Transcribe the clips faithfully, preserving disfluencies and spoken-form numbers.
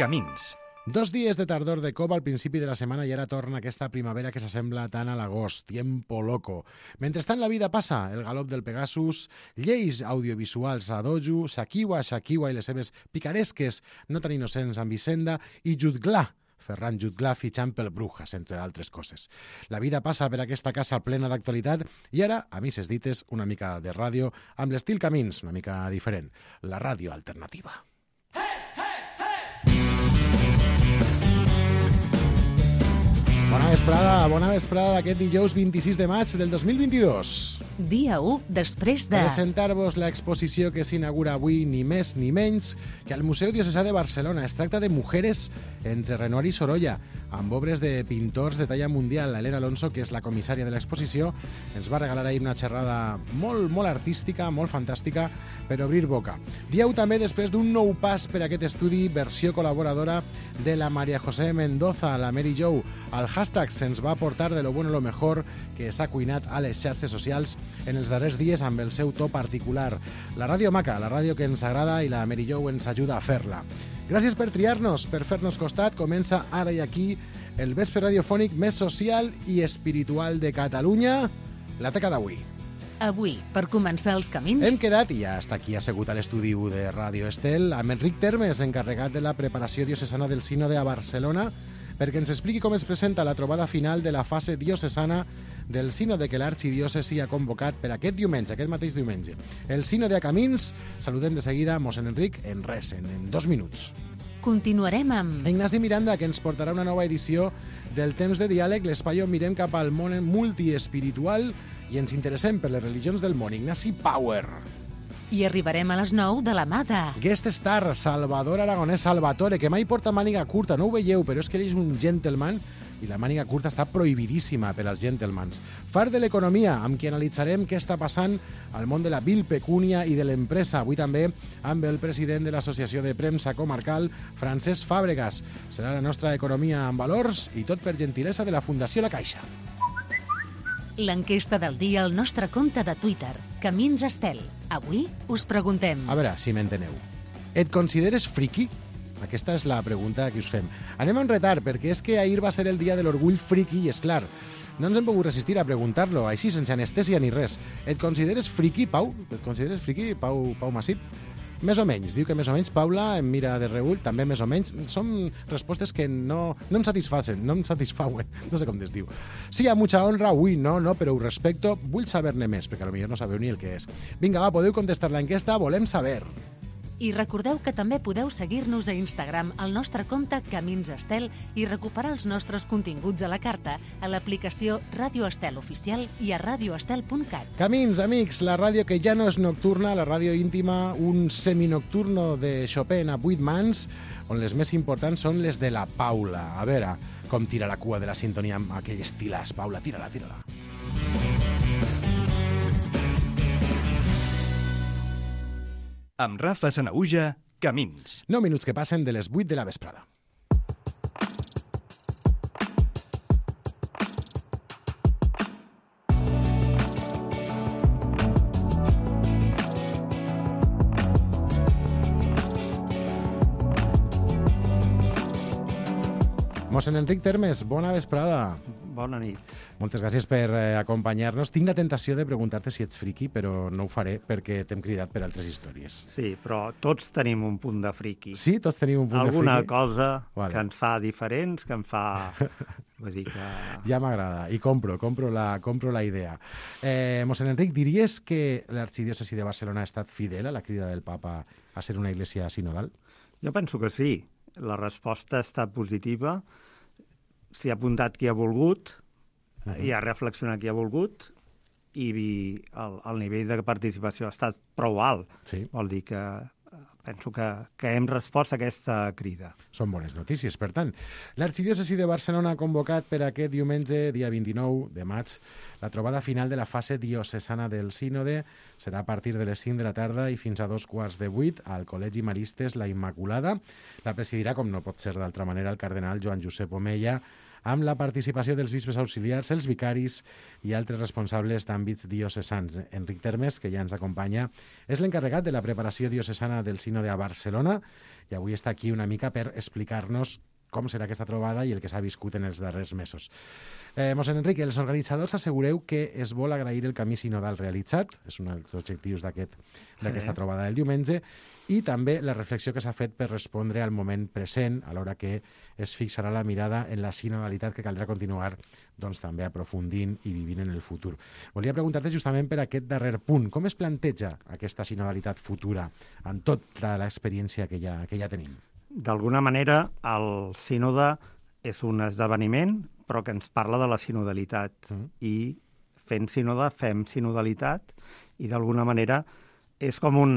Camins. Dos dies de tardor de cop al principi de la setmana i ara torna aquesta primavera que s'assembla tant a l'agost. Tiempo loco. Mentrestant la vida passa, el galop del Pegasus, lleis audiovisuals a dojo, Shakiwa, Shakiwa i les seves picaresques no tan innocents amb Hisenda i Jutglar, Ferran Jutglar fitxant pel Brujas, entre altres coses. La vida passa per aquesta casa plena d'actualitat i ara, a misses dites, una mica de ràdio amb l'estil Camins, una mica diferent. La ràdio alternativa. Bona vesprada, bona vesprada d'aquest dijous vint-i-sis de maig del dos mil vint-i-dos. Dia u després de... Presentar-vos l'exposició que s'inaugura avui ni més ni menys que al Museu Diocesà de Barcelona. Es tracta de Mujeres entre Renoir i Sorolla, amb obres de pintors de talla mundial. Elena Alonso, que és la comissària de l'exposició, ens va regalar ahir una xerrada molt, molt artística, molt fantàstica, per obrir boca. Dia u també després d'un nou pas per aquest estudi, versió col·laboradora de la María José Mendoza, la Mary Jo. El hashtag se'ns va portar de lo bueno lo mejor que s'ha cuinat a les xarxes socials en els darrers dies amb el seu to particular. La ràdio maca, la ràdio que ens agrada i la Mary Jo ens ajuda a fer-la. Gràcies per triar-nos, per fer-nos costat. Comença ara i aquí el vespre radiofònic més social i espiritual de Catalunya, la teca d'avui. Avui, per començar els camins... Hem quedat, i ja està aquí assegut a l'estudi de Ràdio Estel, amb Enric Termes, encarregat de la preparació diocesana del Sínode a Barcelona, perquè ens expliqui com es presenta la trobada final de la fase diocesana del Sínode que l'Arxidiòcesi ha convocat per aquest diumenge, aquest mateix diumenge. El Sínode a Camins, saludem de seguida a mossèn Enric en res, en, en dos minuts. Continuarem amb... Ignasi Miranda, que ens portarà una nova edició del Temps de Diàleg, l'espai on mirem cap al món multiespiritual i ens interessem per les religions del món. Ignasi Power. I arribarem a les nou de la mà de... Guest star, Salvador Aragonès Salvatore, que mai porta màniga curta, no ho veieu, però és que ell és un gentleman i la màniga curta està prohibidíssima per als gentlemans. Far de l'economia, amb qui analitzarem què està passant al món de la vil pecúnia i de l'empresa. Avui també amb el president de l'Associació de Premsa Comarcal, Francesc Fàbregas. Serà la nostra economia amb valors i tot per gentilesa de la Fundació La Caixa. L'enquesta del dia al nostre compte de Twitter, Camins Estel. Avui us preguntem... A veure, si m'enteneu. Et consideres friki? Aquesta és la pregunta que us fem. Anem en retard, perquè és que ahir va ser el dia de l'orgull friki i, és clar, no ens hem pogut resistir a preguntar-lo, així, sense anestèsia ni res. Et consideres friki, Pau? Et consideres friki, Pau, Pau Massip? Més o menys, diu que més o menys. Paula em mira de reull, també més o menys. Són respostes que no, no em satisfacen, no em satisfauen, no sé com es diu. Sí, a mucha honra, ui, no, no, però ho respecto, vull saber-ne més, perquè potser no sabeu ni el que és. Vinga, va, podeu contestar l'enquesta, volem saber. I recordeu que també podeu seguir-nos a Instagram al nostre compte Camins Estel i recuperar els nostres continguts a la carta a l'aplicació Ràdio Estel Oficial i a radioestel punt cat. Camins, amics, la ràdio que ja no és nocturna, la ràdio íntima, un seminocturno de Chopin a vuit mans, on les més importants són les de la Paula. A veure com tira la cua de la sintonia amb aquell estilàs. Paula, tira-la, tira-la. Amb Rafa Sanaüja, Camins. nou minuts que passen de les vuit de la vesprada. Mossèn Enric Termes, bona vesprada. Bona nit. Moltes gràcies per eh, acompanyar-nos. Tinc la tentació de preguntar-te si ets friki, però no ho faré perquè t'hem cridat per altres històries. Sí, però tots tenim un punt de friki. Sí, tots tenim un punt Alguna de friki? cosa vale. que ens fa diferents, que em fa... Vull dir que... Ja m'agrada, i compro, compro la, compro la idea. Eh, mossèn Enric, diries que l'Arxidiòcesi de Barcelona ha estat fidel a la crida del papa a ser una iglesia sinodal? Jo penso que sí. La resposta ha estat positiva. S'hi ha apuntat qui ha volgut, uh-huh. i ha reflexionat qui ha volgut, i el, el nivell de participació ha estat prou alt. Sí. Vol dir que penso que, que hem respost a aquesta crida. Són bones notícies, per tant. L'Arxidiòcesi de Barcelona ha convocat per aquest diumenge, dia vint-i-nou de maig, la trobada final de la fase diocesana del Sínode. Serà a partir de les cinc de la tarda i fins a dos quarts de vuit al Col·legi Maristes La Immaculada. La presidirà, com no pot ser d'altra manera, el cardenal Joan Josep Omeya, amb la participació dels bisbes auxiliars, els vicaris i altres responsables d'àmbits diocesans. Enric Termes, que ja ens acompanya, és l'encarregat de la preparació diocesana del Sínode a Barcelona i avui està aquí una mica per explicar-nos com serà aquesta trobada i el que s'ha viscut en els darrers mesos. Eh, Mossèn Enric, els organitzadors assegureu que es vol agrair el camí sinodal realitzat, és un dels objectius d'aquesta trobada del diumenge, i també la reflexió que s'ha fet per respondre al moment present, a l'hora que es fixarà la mirada en la sinodalitat que caldrà continuar doncs, també aprofundint i vivint en el futur. Volia preguntar-te justament per aquest darrer punt. Com es planteja aquesta sinodalitat futura amb tota l'experiència que ja, que ja tenim? D'alguna manera, el sínode és un esdeveniment, però que ens parla de la sinodalitat. Mm. I fent sínode, fem sinodalitat, i d'alguna manera és com un,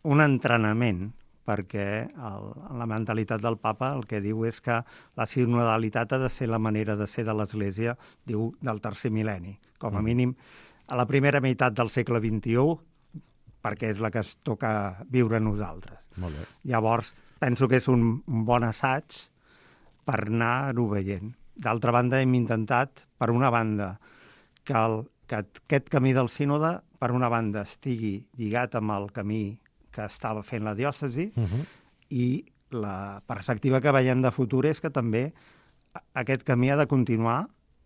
un entrenament, perquè el, la mentalitat del papa el que diu és que la sinodalitat ha de ser la manera de ser de l'Església, diu, del tercer mil·lenni. Com a mínim, a la primera meitat del segle vint-i-u, perquè és la que es toca viure a nosaltres. Molt bé. Llavors, penso que és un, un bon assaig per anar-ho veient. D'altra banda, hem intentat, per una banda, que, el, que aquest camí del sínode, per una banda, estigui lligat amb el camí que estava fent la diòcesi, uh-huh. i la perspectiva que veiem de futur és que també aquest camí ha de continuar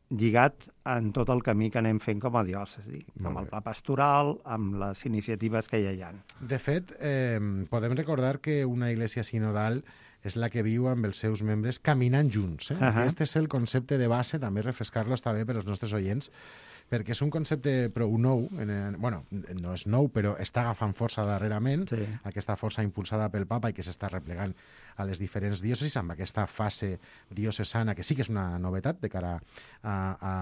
lligat en tot el camí que anem fent com a diòcesi, amb el pla pastoral, amb les iniciatives que ja hi ha. De fet, eh, podem recordar que una Iglesia sinodal és la que viu amb els seus membres caminant junts. Eh? Uh-huh. Aquest és el concepte de base, també refrescar-lo està bé per als nostres oients, perquè és un concepte prou nou, en, en, bueno, no és nou, però està agafant força darrerament, sí. Aquesta força impulsada pel papa i que s'està replegant a les diferents diòcesis amb aquesta fase diocesana, que sí que és una novetat de cara a, a,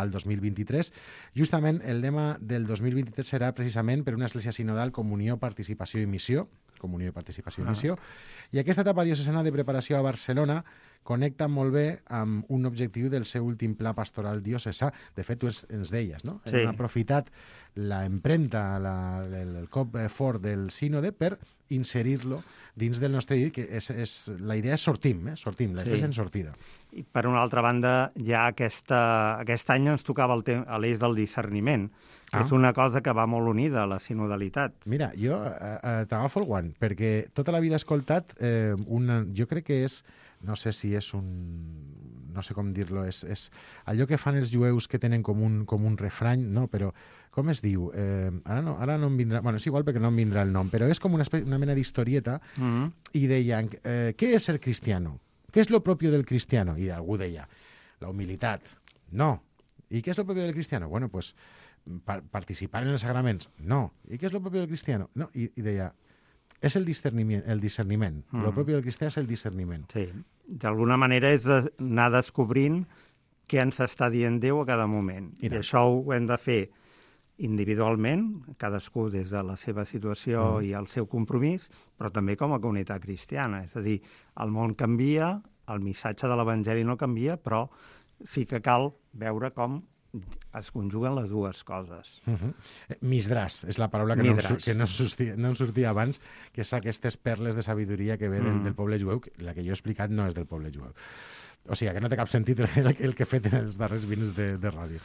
al dos mil vint-i-tres. Justament el lema del dos mil vint-i-tres serà precisament per una església sinodal, comunió, participació i missió, comunió i participació i missió, ah. i aquesta etapa diocesana de preparació a Barcelona connecta molt bé amb un objectiu del seu últim pla pastoral diocesà. De fet, tu ens, ens deies, no? Sí. Hem aprofitat la empremta, la, el, el cop fort del sínode per inserir-lo dins del nostre dia, que és, és, la idea és sortim, eh? sortim, l'església sí. en sortida. I per una altra banda, ja aquesta, aquest any ens tocava l'eix del discerniment, que ah. és una cosa que va molt unida a la sinodalitat. Mira, jo eh, eh, t'agafo el guant, perquè tota la vida he escoltat, eh, una, jo crec que és, no sé si és un, no sé com dir-lo, és, és allò que fan els jueus que tenen com un, com un refrany, no, però com es diu? Eh, ara, no, ara no em vindrà... Bueno, és igual perquè no em vindrà el nom, però és com una, una mena d'historieta mm-hmm. i deien, eh, què és ser cristiano? ¿Qué es lo propio del cristiano? Y algú deia, la humilitat. No. ¿Y qué es lo propio del cristiano? Bueno, pues par participar en els sagraments. No. ¿Y qué es lo propio del cristiano? No. I, i deia, és el discerniment. El discerniment. Mm. Lo propio del cristià és el discerniment. Sí. D'alguna manera és anar descobrint què ens està dient Déu a cada moment. I, I això ho hem de fer individualment, cadascú des de la seva situació mm. i el seu compromís, però també com a comunitat cristiana. És a dir, el món canvia, el missatge de l'Evangeli no canvia, però sí que cal veure com es conjuguen les dues coses. Uh-huh. Misdràs és la paraula que, no, que no, sortia, no em sortia abans, que és aquestes perles de sabidoria que ve mm. del, del poble jueu. La que jo he explicat no és del poble jueu. O sigui, que no té cap sentit el, el que he fet en els darrers minuts de, de ràdio.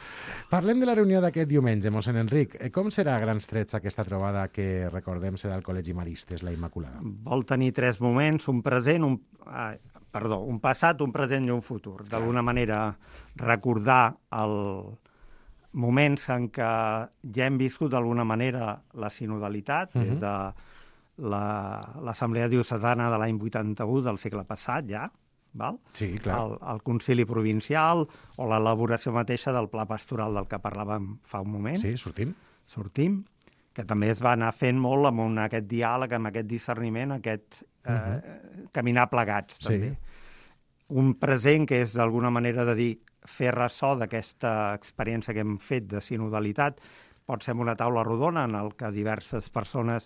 Parlem de la reunió d'aquest diumenge, mossèn Enric. Com serà a grans trets aquesta trobada que, recordem, serà al Col·legi Maristes, la Immaculada? Vol tenir tres moments, un present, un, ah, perdó, un passat, un present i un futur. D'alguna manera, recordar els moments en què ja hem viscut d'alguna manera la sinodalitat, uh-huh. des de l'Assemblea Diocesana de l'any vuitanta-u del segle passat, ja, val? Sí, clar. El, el Concili Provincial o l'elaboració mateixa del Pla Pastoral del que parlàvem fa un moment. Sí, sortim. Sortim, que també es va anar fent molt amb un, aquest diàleg, amb aquest discerniment, aquest eh, uh-huh. caminar plegats, també. Sí. Un present que és d'alguna manera de dir fer ressò d'aquesta experiència que hem fet de sinodalitat. Pot ser una taula rodona en el que diverses persones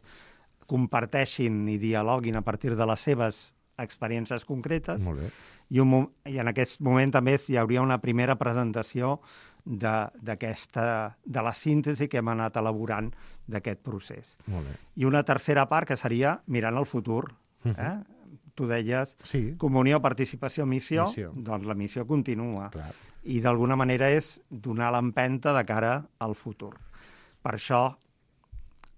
comparteixin i dialoguin a partir de les seves experiències concretes. Molt bé. I, un, i en aquest moment també hi hauria una primera presentació d'aquesta, de, de la síntesi que hem anat elaborant d'aquest procés. Molt bé. I una tercera part que seria mirant el futur. Uh-huh. eh? tu deies, Sí. comunió, participació, missió, Missió. doncs la missió continua. Clar. I d'alguna manera és donar l'empenta de cara al futur. Per això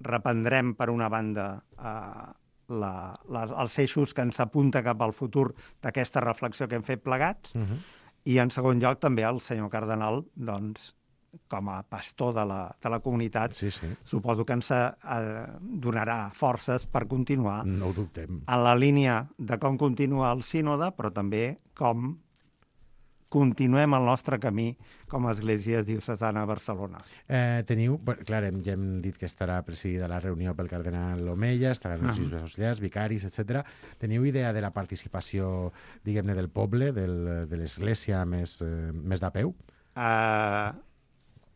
reprendrem, per una banda, eh, la, la, els eixos que ens apunta cap al futur d'aquesta reflexió que hem fet plegats, Uh -huh. i en segon lloc també el senyor cardenal, doncs, com a pastor de la, de la comunitat, Sí, sí. suposo que ens eh, donarà forces per continuar No ho dubtem. en la línia de com continua el sínode, però també com continuem el nostre camí com a Església Diocesana de Barcelona. Eh, teniu, bé, clar, hem, ja hem dit que estarà presidida la reunió pel cardenal Omeya, estaran els Ah. bisbes auxiliars, vicaris, etcètera. Teniu idea de la participació, diguem-ne, del poble, del, de l'Església més, eh, més de peu? Eh,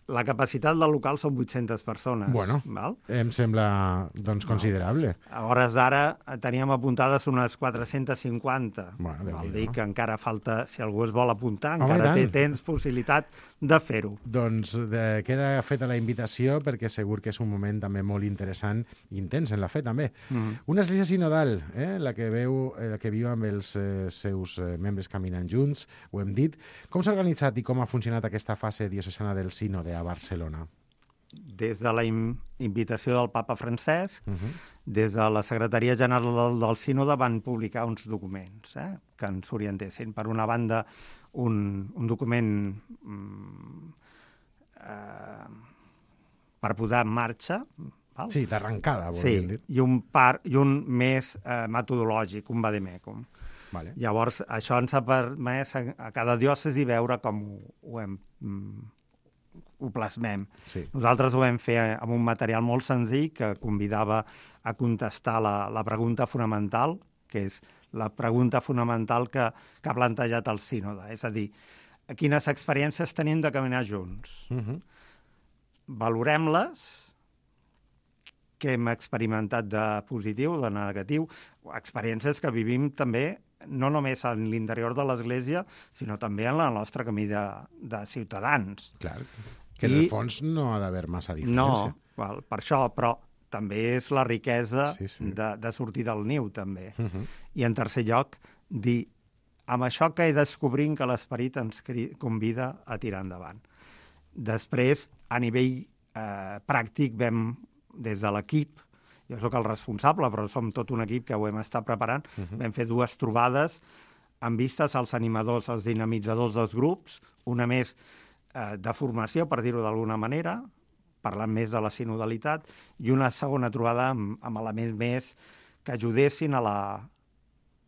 la capacitat del local són vuit-centes persones. Bueno. Val? Em sembla, doncs, considerable. A hores d'ara eh, teníem apuntades unes quatre-centes cinquanta. Bueno, Vol Déu-n'hi-do. dir que encara falta, si algú es vol apuntar, Home, encara i té tant. tens possibilitat de fer-ho. Doncs de, queda feta la invitació perquè segur que és un moment també molt interessant i intens en la fe també. Mm. Una església sinodal, eh, la que veu, eh, la que viu amb els eh, seus eh, membres caminant junts, ho hem dit. Com s'ha organitzat i com ha funcionat aquesta fase diocesana del sínode a Barcelona? Des de la in invitació del papa Francesc, Uh -huh. des de la Secretaria General del, del Sínode van publicar uns documents eh, que ens orientessin. Per una banda, un, un document mm, eh, per posar en marxa, val? Sí, d'arrencada, sí, volíem dir. i un, par, i un més eh, metodològic, un vademecum. Vale. Llavors, això ens ha permès a, a cada diòcesi veure com ho, ho hem... Mm, ho plasmem. Sí. Nosaltres ho vam fer amb un material molt senzill que convidava a contestar la, la pregunta fonamental, que és la pregunta fonamental que, que ha plantejat el sínode. És a dir, quines experiències tenim de caminar junts? Uh -huh. Valorem-les, què hem experimentat de positiu, de negatiu, experiències que vivim també no només en l'interior de l'Església, sinó també en el nostre camí de, de ciutadans. Clar, que en I... el fons no ha d'haver massa diferència. No, val, per això, però també és la riquesa Sí, sí. de, de sortir del niu, també. Uh -huh. I en tercer lloc, dir, amb això que he descobrint que l'Esperit ens convida a tirar endavant. Després, a nivell eh, pràctic, vam, des de l'equip, jo sóc el responsable, però som tot un equip que ho hem estat preparant, Uh -huh. vam fer dues trobades amb vistes als animadors, als dinamitzadors dels grups, una més eh, de formació, per dir-ho d'alguna manera, parlant més de la sinodalitat, i una segona trobada amb, amb elements més que ajudessin a la,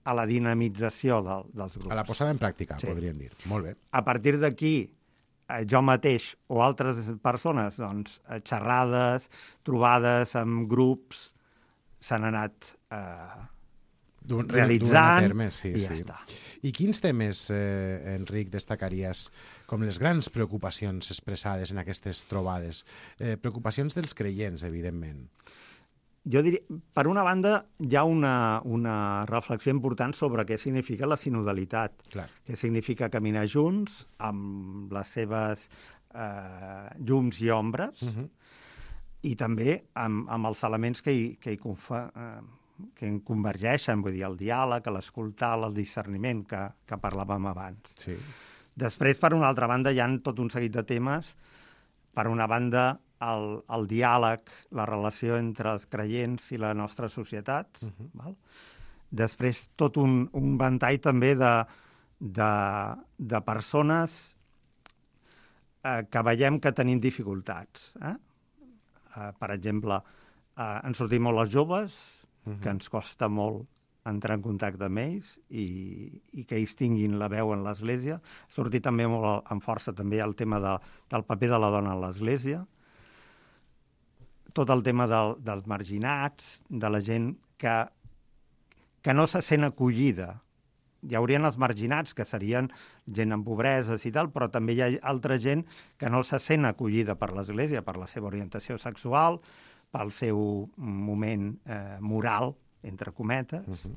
a la dinamització del, dels grups. A la posada en pràctica, Sí. podríem dir. Molt bé. A partir d'aquí, eh, jo mateix o altres persones, doncs, eh, xerrades, trobades amb grups, s'han anat eh, Du- du- realitzant duent a terme, sí, i sí. ja està. I quins temes, eh, Enric, destacaries com les grans preocupacions expressades en aquestes trobades? Eh, preocupacions dels creients, evidentment. Jo diria, per una banda, hi ha una, una reflexió important sobre què significa la sinodalitat, Clar. què significa caminar junts amb les seves eh, llums i ombres, Uh -huh. i també amb, amb els elements que hi, que hi confa, eh, que en convergeixen, vull dir, el diàleg, l'escoltar, el discerniment que, que parlàvem abans. Sí. Després, per una altra banda, hi ha tot un seguit de temes. Per una banda, el, el diàleg, la relació entre els creients i la nostra societat. Uh-huh. Val? Després, tot un, un ventall també de, de, de persones eh, que veiem que tenim dificultats. Eh? Eh, per exemple, eh, ens sortim molt els joves, Uh-huh. que ens costa molt entrar en contacte amb ells i, i que ells tinguin la veu en l'Església. Sortir també molt amb força també el tema de, del paper de la dona en l'Església. Tot el tema del, dels marginats, de la gent que, que no se sent acollida. Hi haurien els marginats, que serien gent amb pobreses i tal, però també hi ha altra gent que no se sent acollida per l'Església, per la seva orientació sexual, pel seu moment eh, moral, entre cometes. Uh-huh.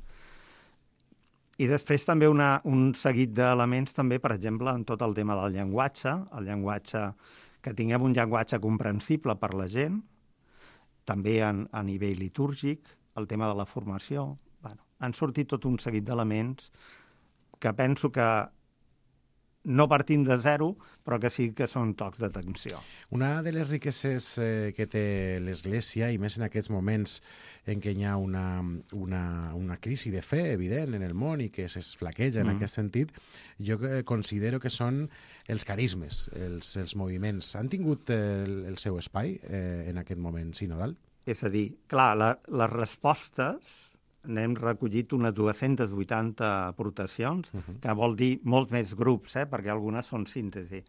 I després també una, un seguit d'elements, també, per exemple, en tot el tema del llenguatge, el llenguatge, que tinguem un llenguatge comprensible per la gent, també en, a nivell litúrgic, el tema de la formació, bueno, han sortit tot un seguit d'elements que penso que no partim de zero, però que sí que són tocs d'atenció. Una de les riqueses eh, que té l'Església, i més en aquests moments en què hi ha una, una, una crisi de fe evident en el món i que s'esflaqueja en mm. aquest sentit, jo considero que són els carismes, els, els moviments. Han tingut el, el seu espai eh, en aquest moment sinodal? És a dir, clar, la, les respostes... n'hem recollit unes dues-centes vuitanta aportacions, uh-huh. que vol dir molts més grups, eh, perquè algunes són síntesi.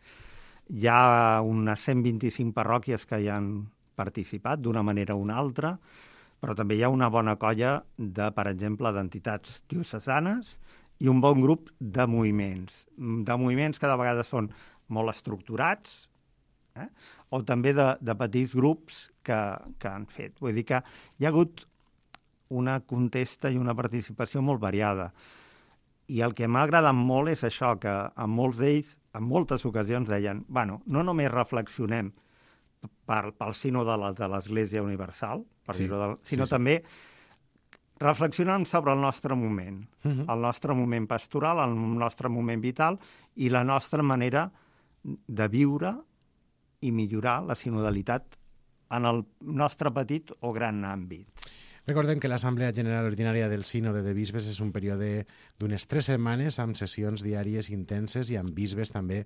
Hi ha unes cent vint-i-cinc parròquies que hi han participat d'una manera o una altra, però també hi ha una bona colla de, per exemple, d'entitats diocesanes i un bon grup de moviments. De moviments que de vegades són molt estructurats, eh, o també de, de petits grups que, que han fet. Vull dir que hi ha hagut una contesta i una participació molt variada. I el que m'ha agradat molt és això, que en molts d'ells, en moltes ocasions deien, bueno, no només reflexionem per, pel sínode de l'Església Universal, per sí, dir-ho de, sinó sí, sí. també reflexionem sobre el nostre moment, uh-huh. el nostre moment pastoral, el nostre moment vital i la nostra manera de viure i millorar la sinodalitat en el nostre petit o gran àmbit. Recordem que l'Assemblea General Ordinària del Sínode de Bisbes és un període d'unes tres setmanes amb sessions diàries intenses i amb bisbes també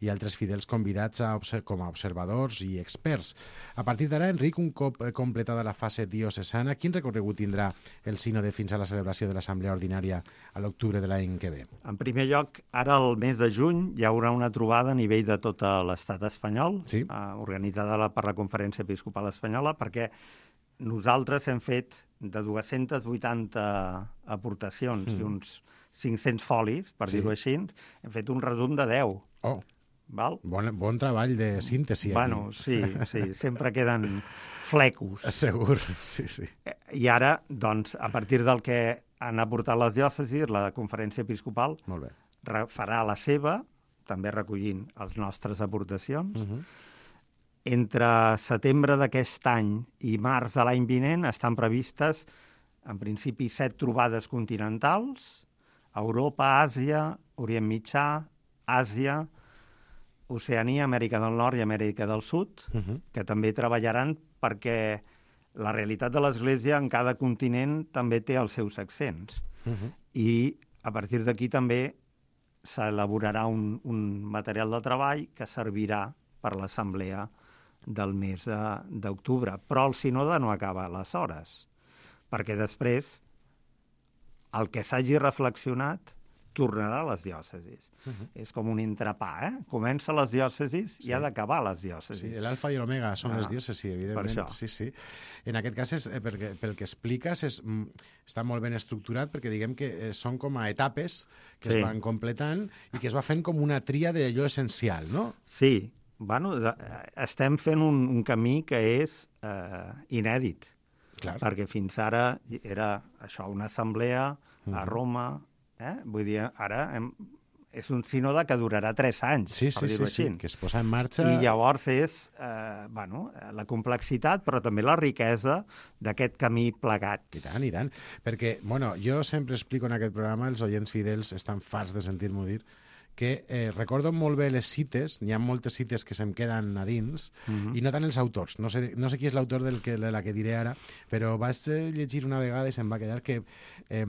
i altres fidels convidats a com a observadors i experts. A partir d'ara, Enric, un cop completada la fase diocesana, quin recorregut tindrà el Sínode fins a la celebració de l'Assemblea Ordinària a l'octubre de l'any que ve? En primer lloc, ara al mes de juny hi haurà una trobada a nivell de tot l'estat espanyol, sí. eh, organitzada per la Conferència Episcopal Espanyola, perquè nosaltres hem fet de dues-centes vuitanta aportacions mm. i uns cinc-cents folis, per sí. dir-ho així, hem fet un resum de deu. Oh, val? Bon, bon treball de síntesi. Bueno, aquí. sí, sí, sempre queden flecos. Segur, sí, sí. I ara, doncs, a partir del que han aportat les diòcesis, la Conferència Episcopal Molt bé. farà la seva, també recollint les nostres aportacions. Uh-huh. Entre setembre d'aquest any i març de l'any vinent estan previstes, en principi, set trobades continentals, Europa, Àsia, Orient Mitjà, Àsia, Oceania, Amèrica del Nord i Amèrica del Sud, uh-huh. que també treballaran perquè la realitat de l'Església en cada continent també té els seus accents. Uh-huh. I a partir d'aquí també s'elaborarà un, un material de treball que servirà per l'assemblea del mes d'octubre. Però el sínode no acaba aleshores, perquè després el que s'hagi reflexionat tornarà a les diòcesis. Uh-huh. És com un entrepà, eh? Comença a les diòcesis sí. i ha d'acabar a les diòcesis. Sí, l'alfa i l'omega són ah, les diòcesis, evidentment. Sí, sí. En aquest cas, és, eh, perquè, pel que expliques, és, està molt ben estructurat, perquè diguem que eh, són com a etapes que sí. es van completant i que es va fent com una tria d'allò essencial, no? Sí. Bueno, estem fent un, un camí que és eh, inèdit, Clar. perquè fins ara era això, una assemblea uh-huh. a Roma, eh? Vull dir, ara hem, és un sínode que durarà tres anys, sí, per sí, dir-ho sí, així. Sí, que es posa en marxa... I llavors és eh, bueno, la complexitat, però també la riquesa d'aquest camí plegat. I tant, i tant. Perquè, bueno, jo sempre explico en aquest programa, els oients fidels estan farts de sentir-m'ho dir, que eh, recordo molt bé les cites, n'hi ha moltes cites que se'm queden a dins, uh-huh. i no tant els autors. No sé, no sé qui és l'autor del que, de la que diré ara, però vaig llegir una vegada i se'm va quedar que eh,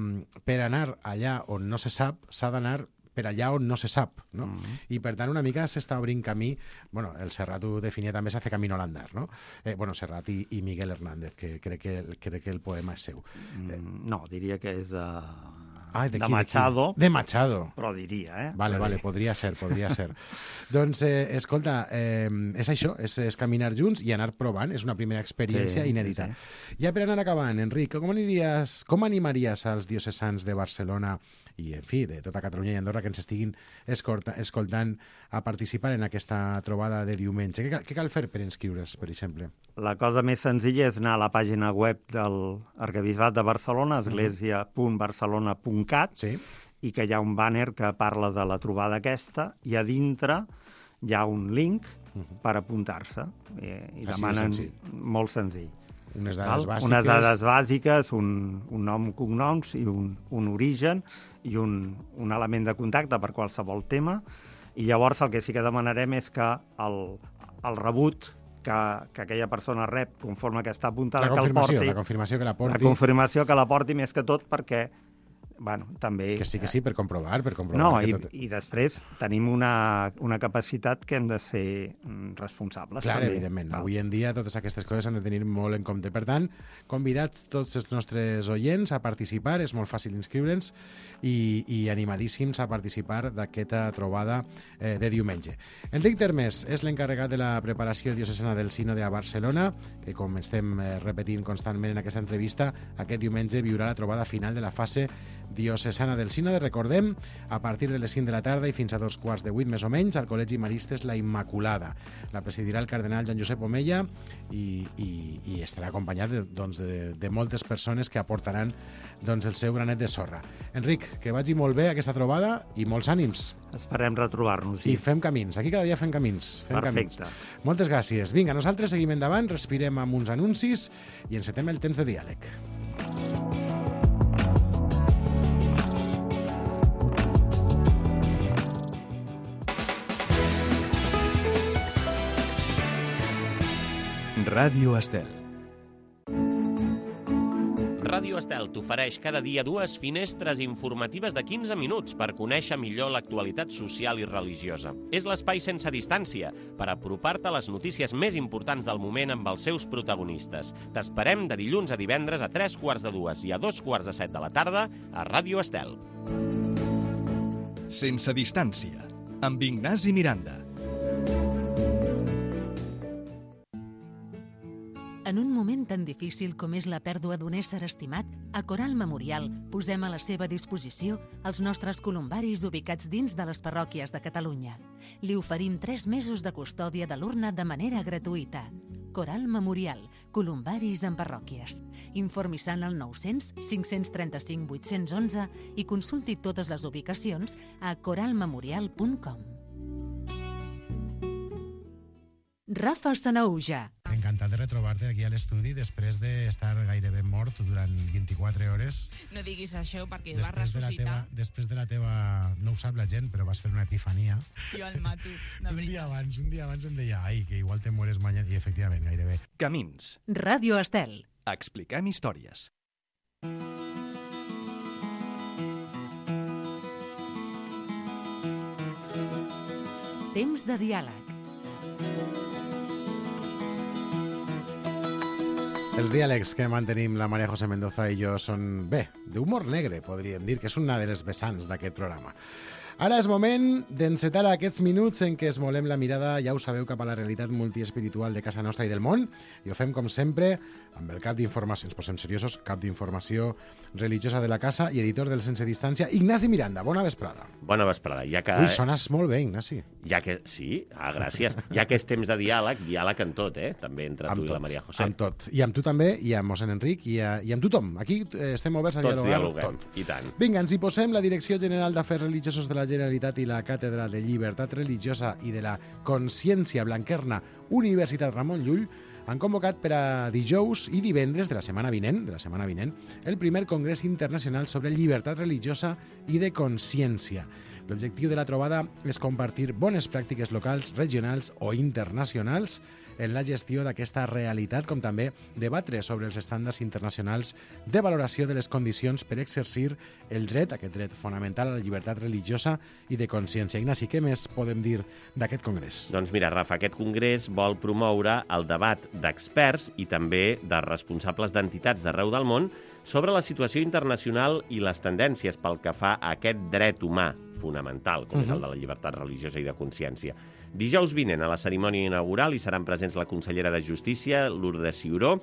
per anar allà on no se sap, s'ha d'anar per allà on no se sap, no? Uh-huh. I per tant una mica s'està obrint camí, bueno, el Serrat ho definia també, s'hace camino al andar, no? Eh, bueno, Serrat i, i Miguel Hernández, que crec que, crec que el poema és seu. Mm, eh, no, diria que és de... Ah, de, de qui, Machado. De, de Machado. Però diria, eh? Vale, vale, podria ser, podria ser. Doncs, eh, escolta, eh, és això, és, és caminar junts i anar provant, és una primera experiència sí, inèdita. Sí. Ja per anar acabant, Enric, com, aniries, com animaries als diocesans de Barcelona i, en fi, de tota Catalunya i Andorra que ens estiguin escolta, escoltant a participar en aquesta trobada de diumenge? Què, què cal fer per inscriure's, per exemple? La cosa més senzilla és anar a la pàgina web del Arquebisbat de Barcelona, església punt barcelona punt cat, sí. i que hi ha un banner que parla de la trobada aquesta, i a dintre hi ha un link uh-huh. per apuntar-se. I, i demanen... senzill. Molt senzill. Unes dades bàsiques. Unes dades bàsiques, un, un nom, cognoms i un, un origen i un, un element de contacte per qualsevol tema. I llavors el que sí que demanarem és que el, el rebut que, que aquella persona rep conforme que està apuntada, la que el porti... La confirmació que la porti. La confirmació que la porti més que tot perquè... Bueno, també... Que sí, que sí, per comprovar, per comprovar. No, que i, tot... i després tenim una, una capacitat que hem de ser responsables. Clar, també. evidentment. Val. Avui en dia totes aquestes coses s'han de tenir molt en compte. Per tant, convidats tots els nostres oients a participar, és molt fàcil inscriure'ns i, i animadíssims a participar d'aquesta trobada eh, de diumenge. Enric Termes és l'encarregat de la preparació diocesana del Sínode a Barcelona, que com estem eh, repetint constantment en aquesta entrevista, aquest diumenge viurà la trobada final de la fase diocesana del Sínode. Recordem, a partir de les cinc de la tarda i fins a dos quarts de vuit més o menys, al Col·legi Maristes La Immaculada. La presidirà el cardenal Joan Josep Omella i, i, i estarà acompanyat de, doncs, de, de moltes persones que aportaran doncs, el seu granet de sorra. Enric, que vagi molt bé aquesta trobada i molts ànims. Esperem retrobar-nos. Sí. I fem camins. Aquí cada dia fem camins. Fem Perfecte. Camins. Moltes gràcies. Vinga, nosaltres seguim endavant, respirem amb uns anuncis i encetem el temps de diàleg. Ràdio Estel. Ràdio Estel t'ofereix cada dia dues finestres informatives de quinze minuts per conèixer millor l'actualitat social i religiosa. És l'espai sense distància per apropar-te a les notícies més importants del moment amb els seus protagonistes. T'esperem de dilluns a divendres a tres quarts de dues i a dos quarts de set de la tarda a Ràdio Estel. Sense distància, amb Ignasi Miranda. En un moment tan difícil com és la pèrdua d'un ésser estimat, a Coral Memorial posem a la seva disposició els nostres columbaris ubicats dins de les parròquies de Catalunya. Li oferim tres mesos de custòdia de l'urna de manera gratuïta. Coral Memorial, columbaris en parròquies. Informi-se al nou-cents cinc-cents trenta-cinc vuit-cents onze i consulti totes les ubicacions a coral memorial punt com. Rafa Sanahuja. Encantat de retrobar-te aquí a l'estudi després d'estar gairebé mort durant vint-i-quatre hores. No diguis això perquè després vas ressuscitar. De la teva, després de la teva... No ho sap la gent, però vas fer una epifania. Jo el mato, de un veritat. dia abans, un dia abans em deia, ai, que igual te mueres mañana. I efectivament, gairebé. Camins. Ràdio Estel. Expliquem històries. Temps de diàleg. Els diàlegs que mantenim la Maria José Mendoza i jo són, bé, d'humor negre, podríem dir, que és una de les vessants d'aquest programa. Ara és moment d'encetar aquests minuts en què esmolem la mirada, ja ho sabeu, cap a la realitat multiespiritual de casa nostra i del món, i ho fem, com sempre, amb el cap d'informació, ens posem seriosos, cap d'informació religiosa de la casa i editor del Sense Distància, Ignasi Miranda. Bona vesprada. Bona vesprada. Ja que... Ui, sones molt bé, Ignasi. Ja que... Sí? Ah, gràcies. Ja que és temps de diàleg, diàleg en tot, eh? També entre amb tu tot, i la Maria José. Amb tot. I amb tu també, i amb mossèn Enric, i, a, i amb tothom. Aquí eh, estem oberts a Tots dialogar. dialoguem, tot. I tant. Vinga, ens hi posem. La Direcció General d'Afers Religiosos de la Generalitat i la Càtedra de Llibertat Religiosa i de la Consciència Blanquerna, Universitat Ramon Llull, han convocat per a dijous i divendres de la setmana vinent, de la setmana vinent, el primer Congrés Internacional sobre Llibertat Religiosa i de Consciència. L'objectiu de la trobada és compartir bones pràctiques locals, regionals o internacionals en la gestió d'aquesta realitat, com també debatre sobre els estàndards internacionals de valoració de les condicions per exercir el dret, aquest dret fonamental a la llibertat religiosa i de consciència. Ignasi, què més podem dir d'aquest congrés? Doncs mira, Rafa, aquest congrés vol promoure el debat d'experts i també de responsables d'entitats d'arreu del món sobre la situació internacional i les tendències pel que fa a aquest dret humà fonamental, com uh-huh. és el de la llibertat religiosa i de consciència. Dijous vinent, a la cerimònia inaugural, hi seran presents la consellera de Justícia, Lourdes Ciuró,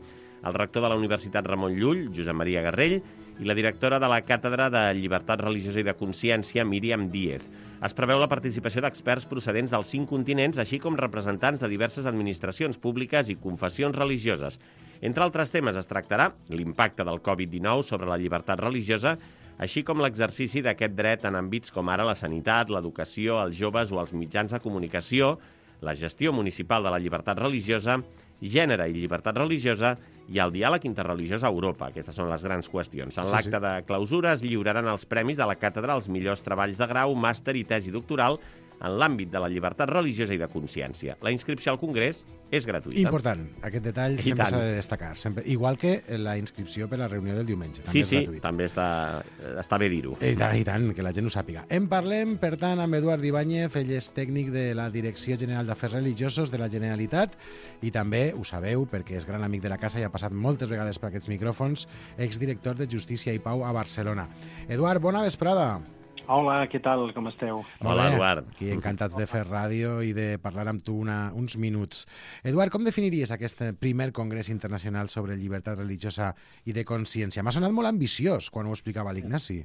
el rector de la Universitat Ramon Llull, Josep Maria Garrell, i la directora de la Càtedra de Llibertat Religiosa i de Consciència, Míriam Díez. Es preveu la participació d'experts procedents dels cinc continents, així com representants de diverses administracions públiques i confessions religioses. Entre altres temes es tractarà l'impacte del covid dinou sobre la llibertat religiosa, així com l'exercici d'aquest dret en àmbits com ara la sanitat, l'educació, els joves o els mitjans de comunicació, la gestió municipal de la llibertat religiosa, gènere i llibertat religiosa i el diàleg interreligiós a Europa. Aquestes són les grans qüestions. En Sí, l'acte sí. de clausura es lliuraran els premis de la càtedra als millors treballs de grau, màster i tesi doctoral en l'àmbit de la llibertat religiosa i de consciència. La inscripció al Congrés és gratuïta. Important, aquest detall I sempre tant. s'ha de destacar. Sempre. Igual que la inscripció per a la reunió del diumenge. També Sí, és sí, gratuït. també està, està bé dir-ho. I tant, I tant, que la gent ho sàpiga. En parlem, per tant, amb Eduard Ibáñez, ell és tècnic de la Direcció General d'Afers Religiosos de la Generalitat i també, ho sabeu, perquè és gran amic de la casa i ha passat moltes vegades per aquests micròfons, exdirector de Justícia i Pau a Barcelona. Eduard, bona vesprada. Hola, què tal? Com esteu? Molt Hola, bé. Eduard. Aquí encantats de fer ràdio i de parlar amb tu una, uns minuts. Eduard, com definiries aquest primer congrés internacional sobre llibertat religiosa i de consciència? M'ha sonat molt ambiciós quan ho explicava l'Ignasi.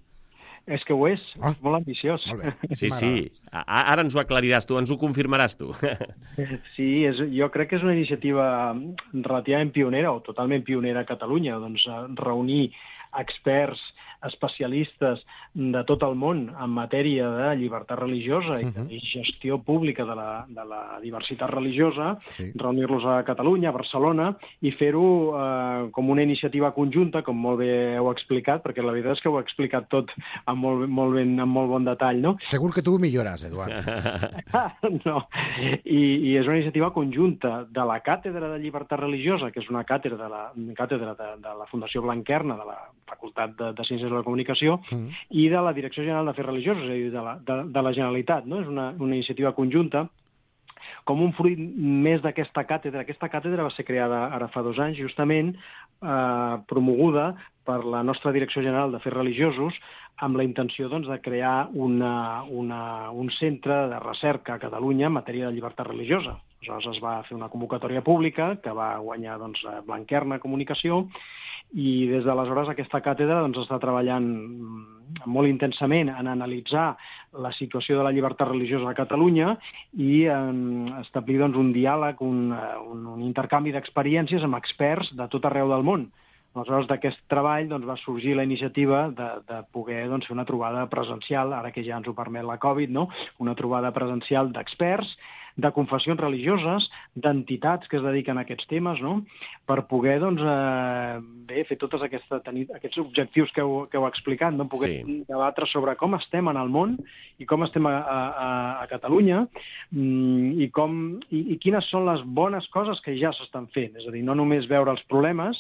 És que ho és, Ah. és molt ambiciós. Molt bé. Sí, M'agrada. sí. A- Ara ens ho aclariràs tu, ens ho confirmaràs tu. Sí, és, jo crec que és una iniciativa relativament pionera o totalment pionera a Catalunya, doncs eh, reunir experts, especialistes de tot el món en matèria de llibertat religiosa i, Mhm. i gestió pública de la, de la diversitat religiosa, Sí. reunir-los a Catalunya, a Barcelona, i fer-ho eh, com una iniciativa conjunta, com molt bé heu explicat, perquè la veritat és que ho heu explicat tot amb molt, molt, ben, amb molt bon detall, no? Segur que tu ho millores, Eduard. No, I, i és una iniciativa conjunta de la Càtedra de Llibertat Religiosa, que és una càtedra de la, càtedra de, de la Fundació Blanquerna, de la Facultat de, de Ciències de la Comunicació, Mm. i de la Direcció General d'Afers Religiosos, és a dir, de la, de, de la Generalitat. No? És una, una iniciativa conjunta com un fruit més d'aquesta càtedra. Aquesta càtedra va ser creada ara fa dos anys, justament eh, promoguda per la nostra Direcció General d'Afers Religiosos, amb la intenció doncs, de crear una, una, un centre de recerca a Catalunya en matèria de llibertat religiosa. Aleshores es va fer una convocatòria pública que va guanyar doncs, Blanquerna Comunicació, i des d'aleshores aquesta càtedra doncs, està treballant molt intensament en analitzar la situació de la llibertat religiosa a Catalunya i en establir doncs, un diàleg, un, un, un intercanvi d'experiències amb experts de tot arreu del món. Aleshores, d'aquest treball doncs, va sorgir la iniciativa de, de poder doncs, fer una trobada presencial, ara que ja ens ho permet la Covid, no? Una trobada presencial d'experts, de confessions religioses, d'entitats que es dediquen a aquests temes, no? Per poder doncs, eh, bé, fer tots aquesta, tenir aquests objectius que heu, que heu explicat, no? Poder Sí. debatre sobre com estem en el món i com estem a, a, a Catalunya mm, i, com, i, i quines són les bones coses que ja s'estan fent. És a dir, no només veure els problemes,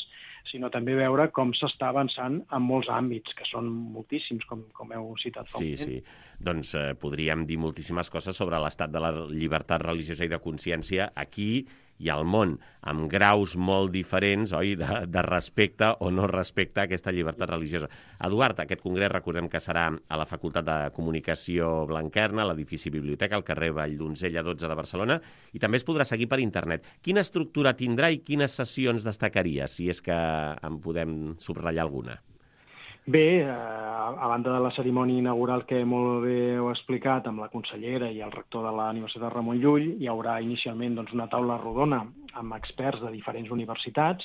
sinó també veure com s'està avançant en molts àmbits, que són moltíssims, com, com heu citat fa un Sí, moment. sí. Doncs eh, podríem dir moltíssimes coses sobre l'estat de la llibertat religiosa i de consciència aquí i al món, amb graus molt diferents, oi, de, de respecte o no respecte a aquesta llibertat religiosa. Eduard, aquest congrés recordem que serà a la Facultat de Comunicació Blanquerna, a l'edifici Biblioteca, al carrer Valldonzella dotze de Barcelona, i també es podrà seguir per internet. Quina estructura tindrà i quines sessions destacaria, si és que en podem subratllar alguna? Bé, eh, a banda de la cerimònia inaugural que molt bé heu explicat amb la consellera i el rector de la Universitat Ramon Llull, hi haurà inicialment doncs, una taula rodona amb experts de diferents universitats,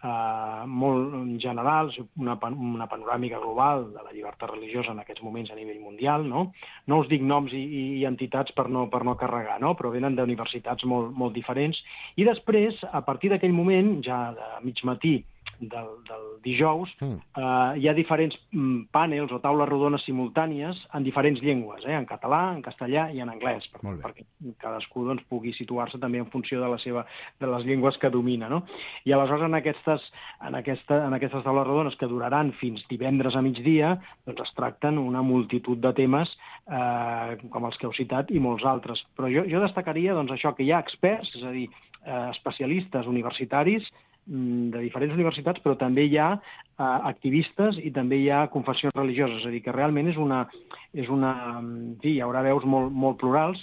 eh, molt generals, una, pan una panoràmica global de la llibertat religiosa en aquests moments a nivell mundial. No, no us dic noms i, i entitats per no, per no carregar, no? Però venen d'universitats molt, molt diferents. I després, a partir d'aquell moment, ja de mig matí, del, del dijous, Mm. eh, hi ha diferents mm, panels o taules rodones simultànies en diferents llengües, eh, en català, en castellà i en anglès, per, Molt bé. perquè cadascú doncs, pugui situar-se també en funció de, la seva, de les llengües que domina. No? I aleshores en aquestes, en, aquesta, en aquestes taules rodones, que duraran fins divendres a migdia, doncs es tracten una multitud de temes eh, com els que heu citat i molts altres. Però jo, jo destacaria doncs, això, que hi ha experts, és a dir, eh, especialistes universitaris de diferents universitats, però també hi ha eh, activistes i també hi ha confessions religioses, és a dir, que realment és una... És una sí, hi haurà veus molt, molt plurals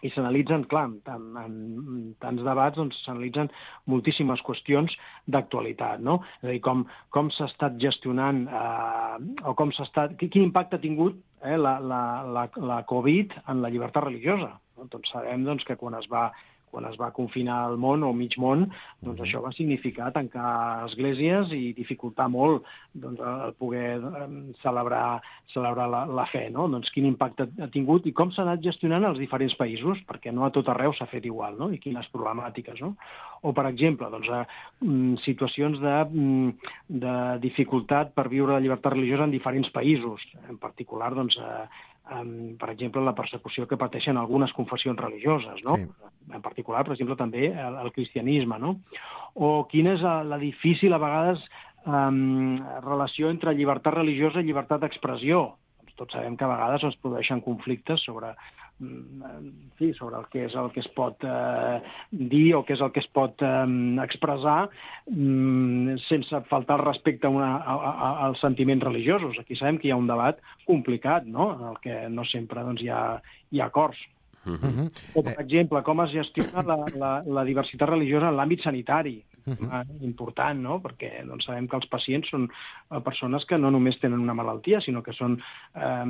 i s'analitzen, clar, en, en, en tants debats doncs s'analitzen moltíssimes qüestions d'actualitat, no? És a dir, com, com s'ha estat gestionant eh, o com s'ha estat... Quin impacte ha tingut eh, la, la, la, la Covid en la llibertat religiosa. No? Tots sabem doncs, que quan es va quan es va confinar el món o mig món, doncs Mhm. això va significar tancar esglésies i dificultar molt doncs, el poder eh, celebrar, celebrar la, la fe, no? Doncs quin impacte ha tingut i com s'ha anat gestionant als diferents països, perquè no a tot arreu s'ha fet igual, no? I quines problemàtiques, no? O, per exemple, doncs, eh, situacions de, de dificultat per viure la llibertat religiosa en diferents països, en particular, doncs, eh, Um, per exemple, la persecució que pateixen algunes confessions religioses, no? Sí. En particular, per exemple, també el, el cristianisme, no? O quina és la difícil, a vegades, um, relació entre llibertat religiosa i llibertat d'expressió. Tots sabem que a vegades es produeixen conflictes sobre, en fi, sobre el que és el que es pot eh, dir o què és el que es pot eh, expressar mm, sense faltar el respecte a una, a, a, als sentiments religiosos. Aquí sabem que hi ha un debat complicat, no?, en el que no sempre doncs, hi ha, hi ha acords. Mhm. O, per exemple, com es gestiona la, la, la diversitat religiosa en l'àmbit sanitari. Mhm. Important, no?, perquè doncs, sabem que els pacients són persones que no només tenen una malaltia, sinó que són, eh,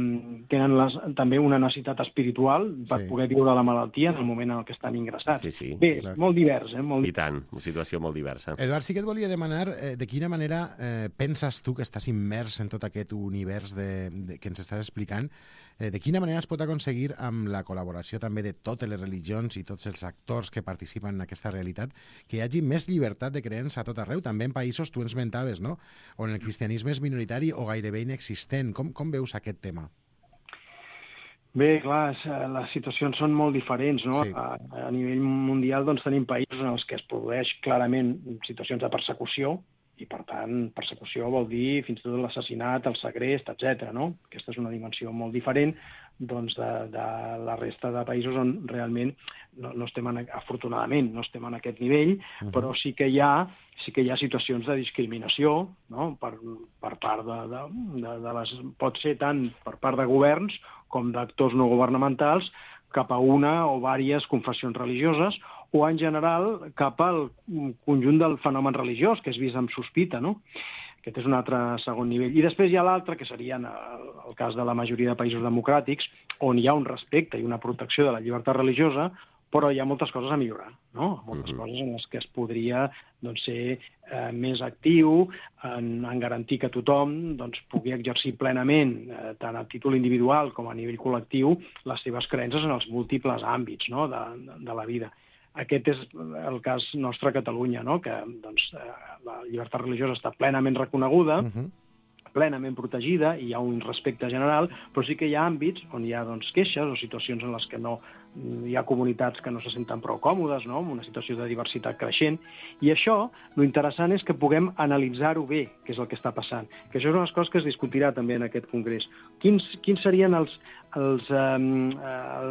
tenen les, també una necessitat espiritual per Sí. poder viure la malaltia en el moment en el que estan ingressats. Sí, sí. Bé, Clar. és molt divers, eh? Molt I tant, una situació molt diversa. Eduard, sí que et volia demanar eh, de quina manera eh, penses tu que estàs immers en tot aquest univers de, de, que ens estàs explicant, eh, de quina manera es pot aconseguir amb la col·laboració també de totes les religions i tots els actors que participen en aquesta realitat que hi hagi més llibertat de creença a tot arreu, també en països, tu ens mentaves, no?, on el cristianisme és minoritari o gairebé inexistent. Com, com veus aquest tema? Bé, clar, les situacions són molt diferents, no? Sí. A, a nivell mundial doncs, tenim països en els que es produeix clarament situacions de persecució, i, per tant, persecució vol dir fins i tot l'assassinat, el segrest, etcètera, no? Aquesta és una dimensió molt diferent doncs, de, de la resta de països on realment no, no estem, en, afortunadament, no estem en aquest nivell, uh-huh. però sí que hi ha sí que hi ha situacions de discriminació, no? per, per part de, de, de, de les... Pot ser tant per part de governs com d'actors no governamentals cap a una o diverses confessions religioses, o en general cap al conjunt del fenomen religiós, que és vist amb sospita, no? Aquest és un altre segon nivell. I després hi ha l'altre, que seria el, el cas de la majoria de països democràtics, on hi ha un respecte i una protecció de la llibertat religiosa, però hi ha moltes coses a millorar, no? Moltes mm-hmm. coses en les que es podria doncs, ser eh, més actiu en, en garantir que tothom doncs, pugui exercir plenament, eh, tant a títol individual com a nivell col·lectiu, les seves creences en els múltiples àmbits, no? de, de, de la vida. Aquest és el cas nostre a Catalunya, no? Que doncs, la llibertat religiosa està plenament reconeguda, uh-huh. plenament protegida, i hi ha un respecte general, però sí que hi ha àmbits on hi ha doncs, queixes o situacions en les que no hi ha comunitats que no se senten prou còmodes, no? Amb una situació de diversitat creixent, i això, lo interessant és que puguem analitzar-ho bé, que és el que està passant, que això és una de les coses que es discutirà també en aquest congrés. Quins, quins serien els, els, eh,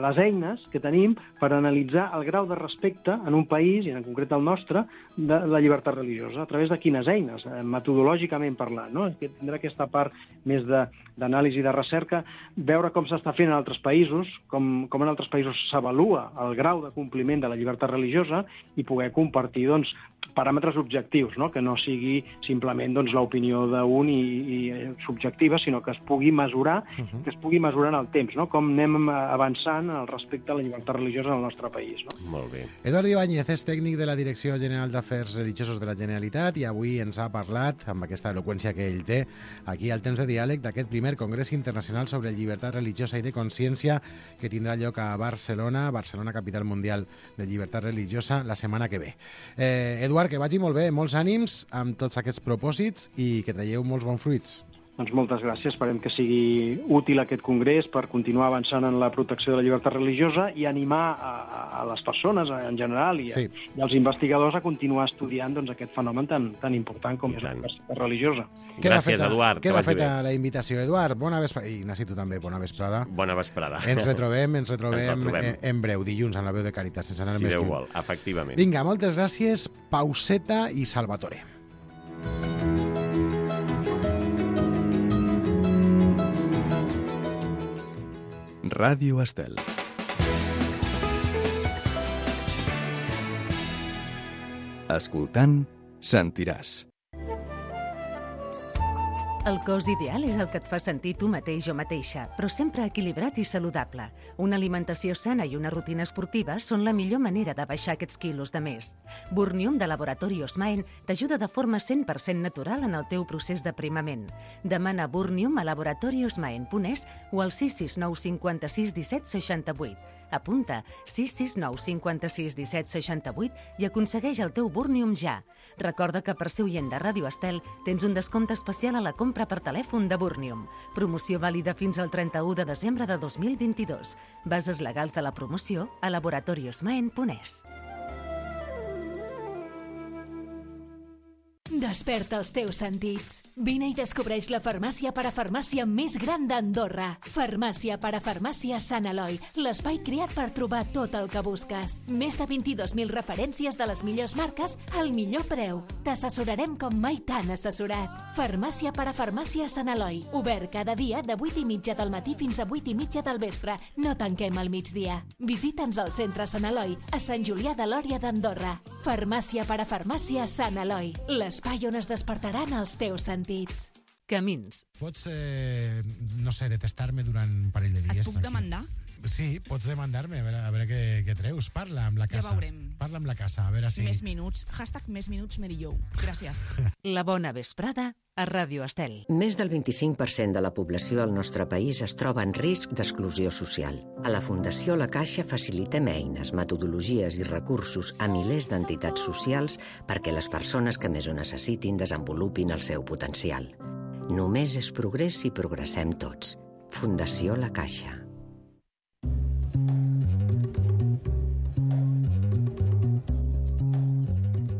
les eines que tenim per analitzar el grau de respecte en un país, i en concret el nostre, de la llibertat religiosa, a través de quines eines, eh, metodològicament parlant, no? Tindrà aquesta part més d'anàlisi, de, de recerca, veure com s'està fent en altres països, com, com en altres països s'avalua el grau de compliment de la llibertat religiosa i poder compartir doncs, paràmetres objectius, no? Que no sigui simplement doncs, l'opinió d'un i, i subjectiva, sinó que es pugui mesurar, uh-huh. que es pugui mesurar en el temps, no? Com anem avançant al respecte a la llibertat religiosa en el nostre país. No? Molt bé. Eduard Ibáñez és tècnic de la Direcció General d'Afers Religiosos de la Generalitat i avui ens ha parlat, amb aquesta eloqüència que ell té, aquí al temps de diàleg d'aquest primer Congrés Internacional sobre Llibertat Religiosa i de Consciència que tindrà lloc a Barcelona, Barcelona, capital mundial de llibertat religiosa, la setmana que ve. Eh, Eduard, que vagi molt bé, molts ànims amb tots aquests propòsits i que traieu molts bons fruits. Doncs moltes gràcies. Esperem que sigui útil aquest congrés per continuar avançant en la protecció de la llibertat religiosa i animar a, a les persones en general i, a, sí. i als investigadors a continuar estudiant doncs, aquest fenomen tan, tan important com I és tant. La llibertat religiosa. Queda gràcies, feta, Eduard. Queda feta bé. La invitació, Eduard. Bona vesprada. I Ignasi, tu també, bona vesprada. Bona vesprada. Ens retrobem, ens retrobem, ens retrobem. En, en breu, dilluns, en la veu de Caritat, sense anar si més Déu lluny. vol, efectivament. Vinga, moltes gràcies. Pauseta i Salvatore. Ràdio Estel. Escoltant, sentiràs. El cos ideal és el que et fa sentir tu mateix o mateixa, però sempre equilibrat i saludable. Una alimentació sana i una rutina esportiva són la millor manera de baixar aquests quilos de més. Burnium de Laboratori Osmaen t'ajuda de forma cent per cent natural en el teu procés d'aprimament. Demana Burnium a laboratori osmaen punt es o al sis sis nou cinquanta-sis disset seixanta-vuit. Apunta sis sis nou cinquanta-sis disset seixanta-vuit i aconsegueix el teu Burnium ja. Recorda que per ser oient de Ràdio Estel tens un descompte especial a la compra per telèfon de Burnium. Promoció vàlida fins al trenta-u de desembre de dos mil vint-i-dos. Bases legals de la promoció a laboratori osmaen punt es. Desperta els teus sentits. Vine i descobreix la farmàcia parafarmàcia més gran d'Andorra. Farmàcia parafarmàcia Sant Eloi, l'espai creat per trobar tot el que busques. Més de vint-i-dos mil referències de les millors marques al millor preu. T'assessorarem com mai t'han assessorat. Farmàcia parafarmàcia Sant Eloi, obert cada dia de vuit i mitja del matí fins a vuit i mitja del vespre. No tanquem al migdia. Visita'ns al centre Sant Eloi, a Sant Julià de Lòria d'Andorra. Farmàcia parafarmàcia Sant Eloi, l'espai on es despertaran els teus sentits. Camins. Pots, eh, no sé, detestar-me durant un parell de dies. Et puc demandar? Sí, pots demandar-me, a veure, a veure què, què treus. Parla amb la Ja casa. veurem. Parla amb la casa, a veure si... Més minuts. Hashtag més minuts Merillou. Gràcies. La bona vesprada a Ràdio Estel. Més del vint-i-cinc per cent de la població al nostre país es troba en risc d'exclusió social. A la Fundació La Caixa facilitem eines, metodologies i recursos a milers d'entitats socials perquè les persones que més ho necessitin desenvolupin el seu potencial. Només és progrés si progressem tots. Fundació La Caixa.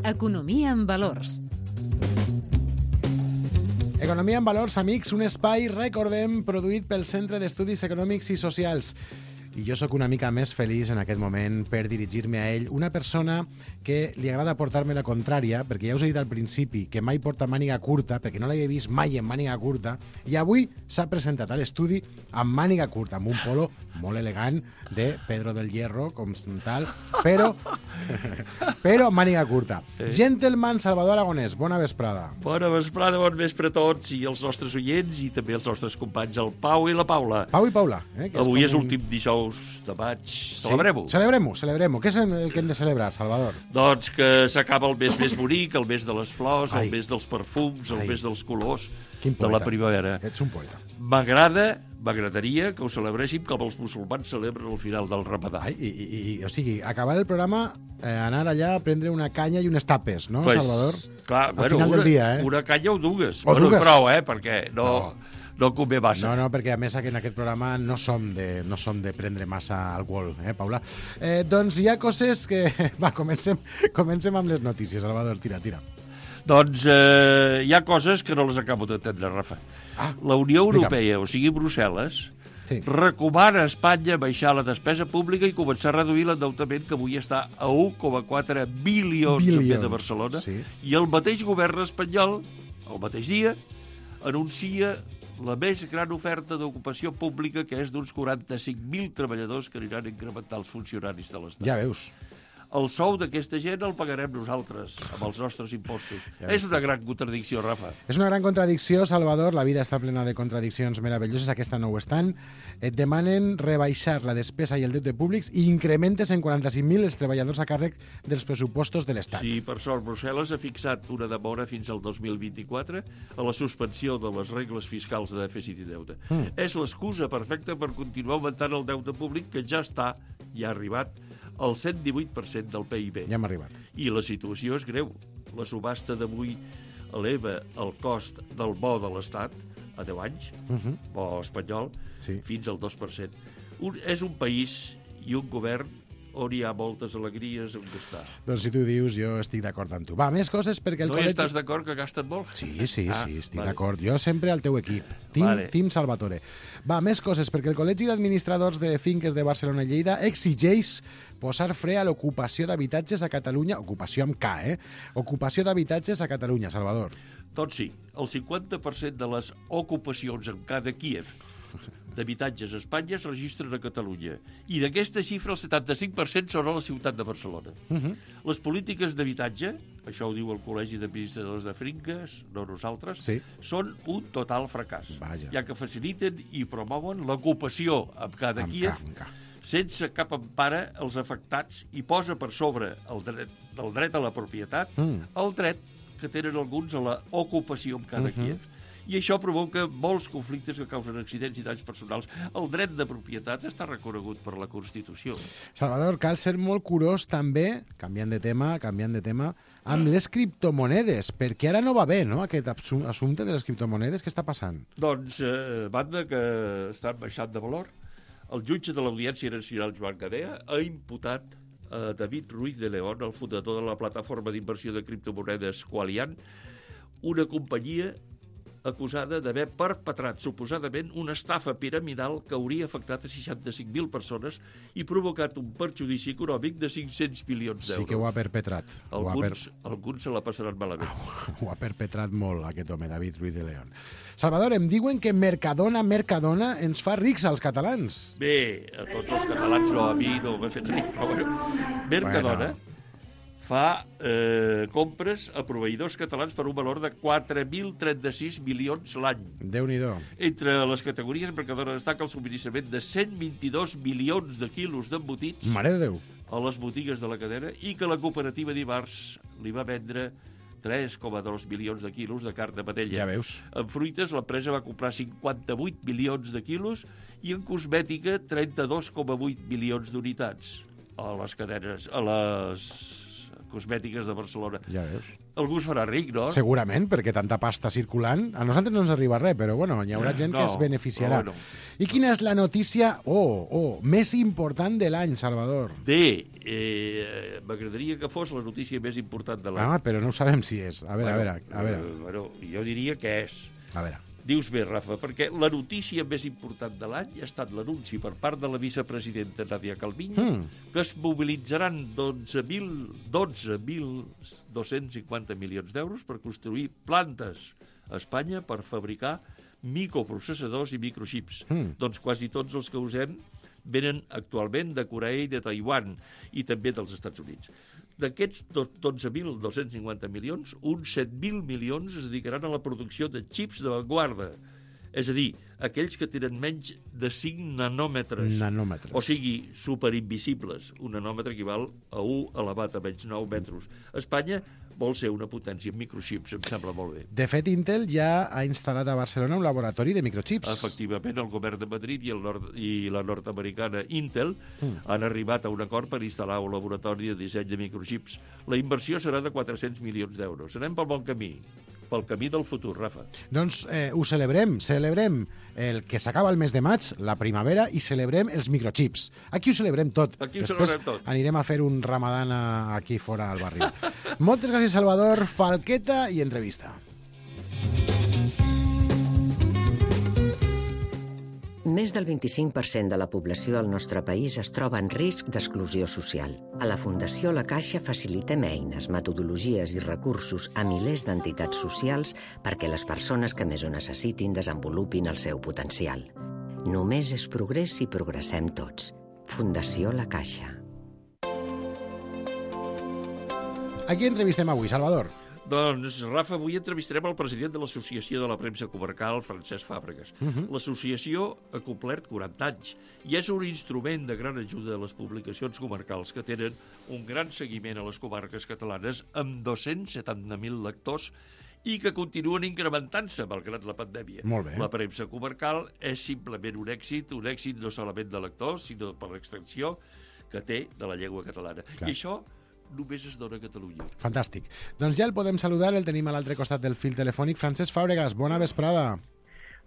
Economia en valors. Economia en valors, amics, un espai, recordem, produït pel Centre d'Estudis Econòmics i Socials. I jo sóc una mica més feliç en aquest moment per dirigir-me a ell. Una persona que li agrada portar-me la contrària, perquè ja us he dit al principi que mai porta màniga curta, perquè no l'havia vist mai en màniga curta, i avui s'ha presentat a l'estudi amb màniga curta, amb un polo molt elegant de Pedro del Hierro, com tal, però, però amb màniga curta. Eh? Gentleman Salvador Aragonès, bona vesprada. Bona vesprada, bon vespre a tots i els nostres oients i també els nostres companys, el Pau i la Paula. Pau i Paula. Eh, que Avui és, és és un... últim dijous de maig. Celebrem-ho. Sí? Celebrem-ho, celebrem-ho. Què és el que hem de celebrar, Salvador? Doncs que s'acaba el mes més bonic, el mes de les flors, Ai. el mes dels perfums, el Ai. mes dels colors Quin de la poeta. primavera. Ets un poeta. M'agrada, m'agradaria que ho celebréssim com els musulmans celebren al final del Ramadà. Ai, i, i, i, o sigui, acabar el programa, eh, anar allà a prendre una canya i unes tapes, no, Pues, Salvador? Clar, Al bueno, final una, del dia, eh? una canya o dues. O bueno, dues. prou, eh? Perquè no, No. no. no convé massa. No, no, perquè a més en aquest programa no som de, no som de prendre massa alcohol, eh, Paula? Eh, doncs hi ha coses que... Va, comencem, comencem amb les notícies, Salvador, tira, tira. Doncs eh, hi ha coses que no les acabo d'entendre, Rafa. Ah, la Unió explica'm. Europea, o sigui Brussel·les, Sí. recomana a Espanya baixar la despesa pública i començar a reduir l'endeutament que avui està a un coma quatre bilions en vez de Barcelona. Sí. I el mateix govern espanyol, el mateix dia, anuncia la més gran oferta d'ocupació pública, que és d'uns quaranta-cinc mil treballadors que aniran a incrementar els funcionaris de l'Estat. Ja veus. El sou d'aquesta gent el pagarem nosaltres, amb els nostres impostos. Ja és una gran contradicció, Rafa. És una gran contradicció, Salvador. La vida està plena de contradiccions meravelloses. Aquesta no ho estan. Et demanen rebaixar la despesa i el deute públics i incrementes en quaranta-cinc mil els treballadors a càrrec dels pressupostos de l'Estat. Sí, per sort, Brussel·les ha fixat una demora fins al dos mil vint-i-quatre a la suspensió de les regles fiscals de dèficit i deute. Mm. És l'excusa perfecta per continuar augmentant el deute públic, que ja està, ja ha arribat, al cent divuit per cent del P I B. Ja hem arribat. I la situació és greu. La subhasta d'avui eleva el cost del bo de l'Estat a deu anys, Uh -huh. bo espanyol, Sí. fins al dos per cent. Un, és un país i un govern on hi ha moltes alegries on gastar. Doncs si tu dius, jo estic d'acord amb tu. Va, més coses perquè el No hi col·legi... estàs d'acord que gasten molt? Sí, sí, Ah, sí, estic vale. d'acord. Jo sempre al teu equip. Team, Vale. Team Salvatore. Va, més coses, perquè el Col·legi d'Administradors de Finques de Barcelona i Lleida exigeix posar fre a l'ocupació d'habitatges a Catalunya, ocupació amb K, eh? Ocupació d'habitatges a Catalunya, Salvador. Doncs sí, el cinquanta per cent de les ocupacions en cada Kíev d'habitatges a Espanya es registren a Catalunya. I d'aquesta xifra, el setanta-cinc per cent són a la ciutat de Barcelona. Uh-huh. Les polítiques d'habitatge, això ho diu el Col·legi d'Administradors de Finques, no nosaltres, sí. són un total fracàs, Vaja. ja que faciliten i promouen l'ocupació amb cada Amb Kíev, ca, amb ca. sense cap empara als afectats, i posa per sobre el dret, el dret a la propietat Mm. el dret que tenen alguns a l'ocupació amb cada Uh-huh. Kíev. I això provoca molts conflictes que causen accidents i danys personals. El dret de propietat està reconegut per la Constitució. Salvador, cal ser molt curós també, canviant de tema, canviant de tema, amb les criptomonedes, perquè ara no va bé, no?, aquest assumpte de les criptomonedes. Què està passant? Doncs, eh, banda que estan baixant de valor, el jutge de l'Audiència Nacional, Joan Gadea, ha imputat a David Ruiz de León, el fundador de la plataforma d'inversió de criptomonedes Qualian, una companyia acusada d'haver perpetrat suposadament una estafa piramidal que hauria afectat a seixanta-cinc mil persones i provocat un perjudici econòmic de cinc-cents milions d'euros. Sí que ho ha perpetrat. Ho ha Alguns, per... alguns se la passaran malament. Ho ha perpetrat molt, aquest home, David Ruiz de León. Salvador, em diuen que Mercadona, Mercadona ens fa rics als catalans. Bé, a tots els catalans, no, a mi no m'ha fet ric, però bueno. Mercadona bueno. fa eh, compres a proveïdors catalans per un valor de quatre mil trenta-sis milions l'any. Déu-n'hi-do. Entre les categories, Mercadona destaca el subministrament de cent vint-i-dos milions de quilos d'embotits Mare de Déu. a les botigues de la cadena i que la cooperativa dimarts li va vendre tres coma dos milions de quilos de carn de vedella. Ja veus. En fruites, l'empresa va comprar cinquanta-vuit milions de quilos i en cosmètica trenta-dos coma vuit milions d'unitats a les cadenes, a les cosmètiques de Barcelona. Ja veus. Algú es farà ric, no? Segurament, perquè tanta pasta circulant, a nosaltres no ens arriba res, però bueno, hi haurà gent no, que es beneficiarà. Bueno. I quina és la notícia, oh, oh, més important de l'any, Salvador? Bé, eh, m'agradaria que fos la notícia més important de l'any. Ah, però no ho sabem si és. A veure, bueno, a veure, a veure. Eh, bueno, jo diria que és. A veure. Dius bé, Rafa, perquè la notícia més important de l'any ha estat l'anunci per part de la vicepresidenta Nadia Calviño Mm. que es mobilitzaran dotze mil dos-cents cinquanta milions d'euros per construir plantes a Espanya per fabricar microprocessadors i microxips. Mm. Doncs quasi tots els que usem venen actualment de Corea i de Taiwan i també dels Estats Units. D'aquests dotze mil dos-cents cinquanta milions, uns set mil milions es dedicaran a la producció de xips d'avantguarda. És a dir, aquells que tenen menys de cinc nanòmetres. Nanòmetres. O sigui, superinvisibles. Un nanòmetre equival a un elevat a menys nou metres. Espanya vol ser una potència en microxips, em sembla molt bé. De fet, Intel ja ha instal·lat a Barcelona un laboratori de microxips. Efectivament, el govern de Madrid i, el nord, i la nord-americana Intel mm. han arribat a un acord per instal·lar un laboratori de disseny de microxips. La inversió serà de quatre-cents milions d'euros. Anem pel bon camí, pel camí del futur, Rafa. Doncs eh, ho celebrem, celebrem el que s'acaba el mes de maig, la primavera, i celebrem els microchips. Aquí ho celebrem tot. Aquí ho Després celebrem tot. Anirem a fer un ramadan a, aquí fora al barri. Moltes gràcies, Salvador. Falqueta i entrevista. Més del vint-i-cinc per cent de la població al nostre país es troba en risc d'exclusió social. A la Fundació La Caixa facilitem eines, metodologies i recursos a milers d'entitats socials perquè les persones que més ho necessitin desenvolupin el seu potencial. Només és progrés si progressem tots. Fundació La Caixa. A qui entrevistem avui, Salvador? Doncs, Rafa, avui entrevistarem el president de l'Associació de la Premsa Comarcal, Francesc Fàbregas. Uh -huh. L'associació ha complert quaranta anys i és un instrument de gran ajuda a les publicacions comarcals que tenen un gran seguiment a les comarques catalanes amb dos-cents setanta mil lectors i que continuen incrementant-se malgrat la pandèmia. Molt bé. La premsa comarcal és simplement un èxit, un èxit no solament de lectors, sinó per l'extensió que té de la llengua catalana. Clar. I això només es dona a Catalunya. Fantàstic. Doncs ja el podem saludar, el tenim a l'altre costat del fil telefònic. Francesc Fàbregas, bona vesprada.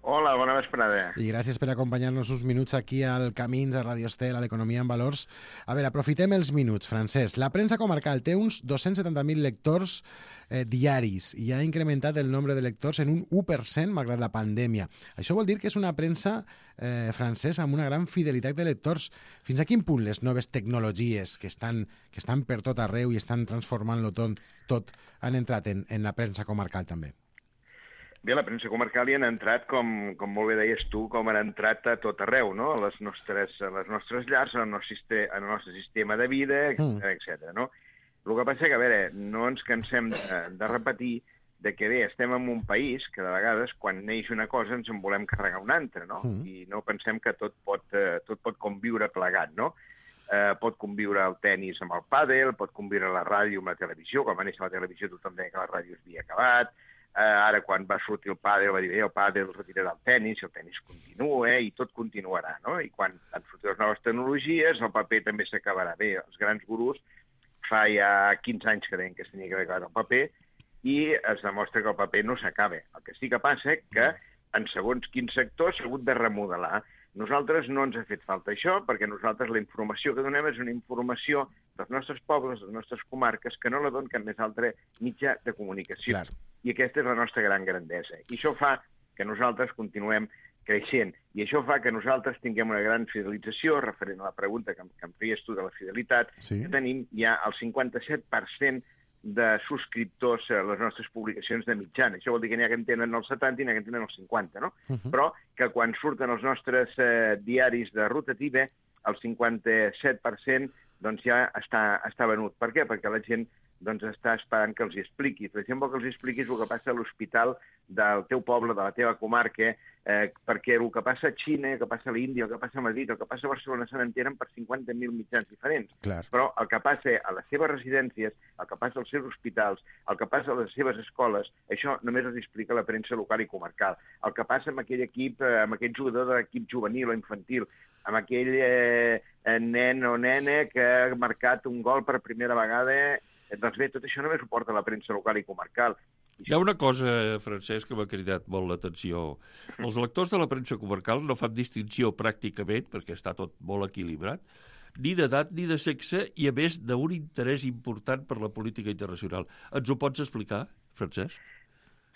Hola, bona vesprada. I gràcies per acompanyar-nos uns minuts aquí al Camins, a Radio Estel, a l'Economia en Valors. A veure, aprofitem els minuts, Francesc. La premsa comarcal té uns dos-cents setanta mil lectors eh, diaris i ha incrementat el nombre de lectors en un u per cent malgrat la pandèmia. Això vol dir que és una premsa, eh, Francesc, amb una gran fidelitat de lectors. Fins a quin punt les noves tecnologies que estan, que estan per tot arreu i estan transformant-lo tot, tot han entrat en, en la premsa comarcal també? Bé, la premsa comarcal hi han entrat, com, com molt bé deies tu, com han entrat a tot arreu, no? A les nostres, a les nostres llars, al nostre, sistema, al nostre sistema de vida, etcètera, mm. etcètera, no? El que passa que, a veure, no ens cansem de, de repetir de que, bé, estem en un país que, de vegades, quan neix una cosa, ens en volem carregar una altra, no? Mm. I no pensem que tot pot, eh, tot pot conviure plegat, no? Eh, pot conviure el tennis amb el pàdel, pot conviure la ràdio amb la televisió. Quan va néixer la televisió tothom deia que la ràdio s'havia acabat. Eh, ara, quan va sortir el pàdel, va dir, bé, el pàdel retirarà el tennis, el tennis continua, eh, i tot continuarà, no? I quan han sortit les noves tecnologies, el paper també s'acabarà. Bé, els grans gurus fa ja quinze anys que deien que s'havia que acabar el paper, i es demostra que el paper no s'acaba. El que sí que passa és que en segons quins sectors s'ha hagut de remodelar. Nosaltres no ens ha fet falta això, perquè nosaltres la informació que donem és una informació dels nostres pobles, de les nostres comarques, que no la donen cap més altre mitjà de comunicació. Clar. I aquesta és la nostra gran grandesa. I això fa que nosaltres continuem creixent. I això fa que nosaltres tinguem una gran fidelització, referent a la pregunta que, que em feies tu de la fidelitat, sí. Que tenim ja el cinquanta-set per cent de subscriptors a les nostres publicacions de mitjana. Això vol dir que n'hi ha que en tenen el setanta i n'hi ha que en tenen el cinquanta, no? Uh -huh. Però que quan surten els nostres eh, diaris de rotativa, el cinquanta-set per cent doncs ja està, està venut. Per què? Perquè la gent doncs està esperant que els hi expliquis. Per exemple, que els hi expliquis el que passa a l'hospital del teu poble, de la teva comarca, eh, perquè el que passa a Xina, el que passa a l'Índia, el que passa a Madrid, el que passa a Barcelona se n'entenen per cinquanta mil mitjans diferents. Clar. Però el que passa a les seves residències, el que passa als seus hospitals, el que passa a les seves escoles, això només els explica la premsa local i comarcal. El que passa amb aquell equip, amb aquell jugador de l'equip juvenil o infantil, amb aquell eh, nen o nena que ha marcat un gol per primera vegada. Doncs bé, tot això només ho porta la premsa local i comarcal. Hi ha una cosa, Francesc, que m'ha cridat molt l'atenció. Els lectors de la premsa comarcal no fan distinció pràcticament, perquè està tot molt equilibrat, ni d'edat ni de sexe, i a més d'un interès important per la política internacional. Ens ho pots explicar, Francesc?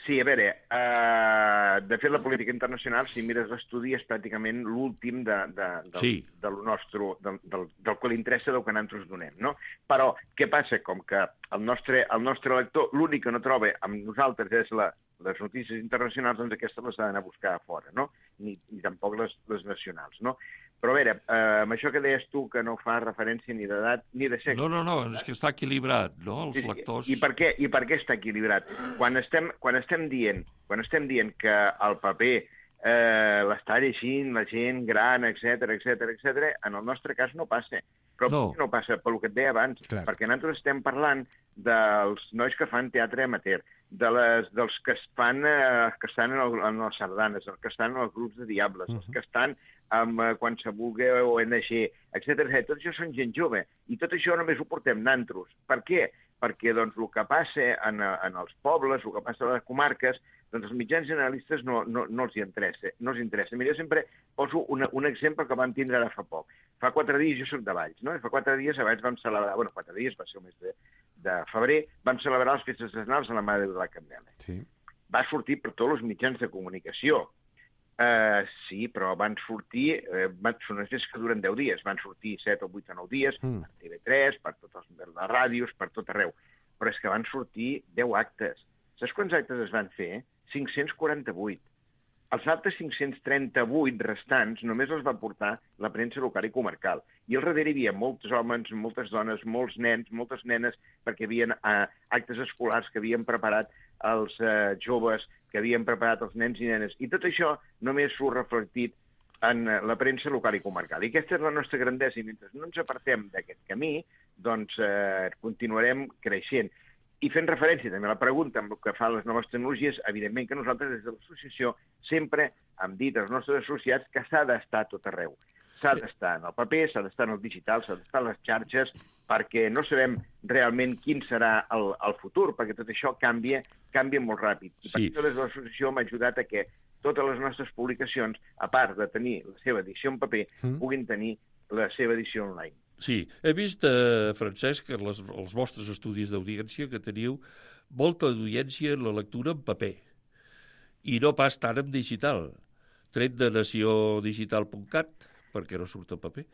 Sí, a veure, uh, de fet la política internacional, si mires l'estudi, és pràcticament l'últim de, de, del, sí. de lo nostre, del, del, del que li interessa del que nosaltres donem, no? Però què passa? Com que el nostre, el nostre lector l'únic que no troba amb nosaltres és la, les notícies internacionals, doncs aquestes les ha d'anar a buscar a fora, no? Ni, ni tampoc les, les nacionals, no? Però a veure, eh, amb això que deies tu, que no fa referència ni d'edat ni de sexe... No, no, no, és que està equilibrat, no?, els sí, sí. lectors... I per què, i per què està equilibrat? Quan estem, quan estem dient, quan estem dient que el paper eh, l'està llegint la gent gran, etcètera, etcètera, etcètera, en el nostre cas no passa. Però no, no passa, pel que et deia abans, clar. Perquè nosaltres estem parlant dels nois que fan teatre amateur, de les, dels que, es fan, eh, que estan en, el, en les sardanes, els que estan en els grups de diables, uh-huh. els que estan amb eh, qualsevol O N G, etcètera, etcètera. Tot això són gent jove. I tot això només ho portem nantros. Per què? Perquè doncs, el que passa en, en els pobles, el que passa a les comarques, doncs els mitjans generalistes no, no, no els hi interessa. No els interessa. Mira, jo sempre poso una, un exemple que vam tindre ara fa poc. Fa quatre dies, jo soc de Valls, no? I fa quatre dies abans vam celebrar, bueno, quatre dies, va ser el mes de, de febrer, vam celebrar les festes nacionals a la Mare de la Candela. Sí. Va sortir per tots els mitjans de comunicació. Uh, sí, però van sortir, uh, van, són unes festes que duren deu dies, van sortir set o vuit o nou dies, mm. per T V tres, per totes les ràdios, per tot arreu. Però és que van sortir deu actes. Saps quants actes es van fer? cinc-cents quaranta-vuit. Els altres cinc-cents trenta-vuit restants només els va portar la premsa local i comarcal. I al darrere hi havia molts homes, moltes dones, molts nens, moltes nenes, perquè hi havia uh, actes escolars que havien preparat els uh, joves, que havien preparat els nens i nenes. I tot això només s'ho reflectit en uh, la premsa local i comarcal. I aquesta és la nostra grandesa. I mentre no ens apartem d'aquest camí, doncs uh, continuarem creixent. I fent referència també a la pregunta amb el que fan les noves tecnologies, evidentment que nosaltres des de l'associació sempre hem dit als nostres associats que s'ha d'estar a tot arreu. S'ha d'estar en el paper, s'ha d'estar en el digital, s'ha d'estar en les xarxes, perquè no sabem realment quin serà el, el futur, perquè tot això canvia, canvia molt ràpid. I per sí. això des de l'associació m'ha ajudat a que totes les nostres publicacions, a part de tenir la seva edició en paper, mm. puguin tenir la seva edició online. Sí, he vist, eh, Francesc, que les, els vostres estudis d'audiència que teniu molta audiència en la lectura en paper i no pas tant en digital, tret de nació digital punt cat, perquè no surt en paper.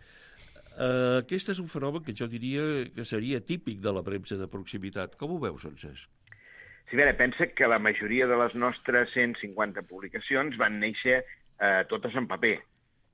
Eh, aquest és un fenomen que jo diria que seria típic de la premsa de proximitat. Com ho veus, Francesc? Sí, a veure, pensa que la majoria de les nostres cent cinquanta publicacions van néixer eh, totes en paper,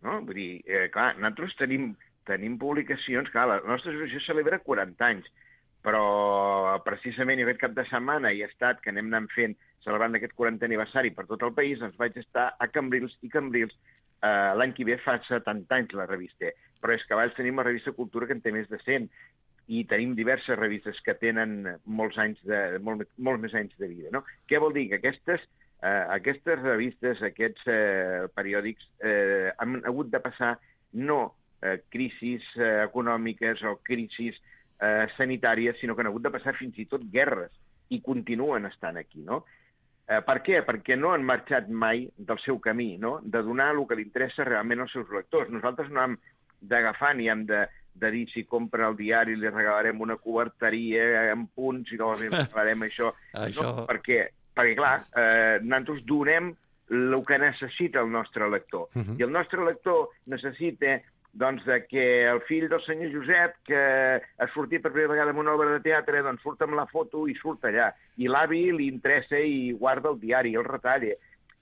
no? Vull dir, eh, clar, nosaltres tenim, tenim publicacions, clar, la nostra associació celebra quaranta anys, però precisament aquest cap de setmana hi ha estat que anem anant fent, celebrant aquest quarantè aniversari per tot el país, doncs vaig estar a Cambrils i Cambrils eh, l'any que ve fa setanta anys la revista, però és que abans tenim la revista Cultura que en té més de cent, i tenim diverses revistes que tenen molts anys de, molt, molts més anys de vida, no? Què vol dir? Que aquestes, eh, aquestes revistes, aquests eh, periòdics eh, han hagut de passar no eh, crisis eh, econòmiques o crisis Eh, sanitàries, sinó que han hagut de passar fins i tot guerres, i continuen estant aquí, no? Eh, per què? Perquè no han marxat mai del seu camí, no? De donar el que li interessa realment als seus lectors. Nosaltres no hem d'agafar ni hem de, de dir si compra el diari li regalarem una coberteria en punts i llavors li regalarem això. això... No, perquè, perquè, clar, eh, nosaltres donem el que necessita el nostre lector. Uh-huh. I el nostre lector necessita doncs de que el fill del senyor Josep, que ha sortit per primera vegada en una obra de teatre, doncs surt amb la foto i surt allà. I l'avi li interessa i guarda el diari, el retalla,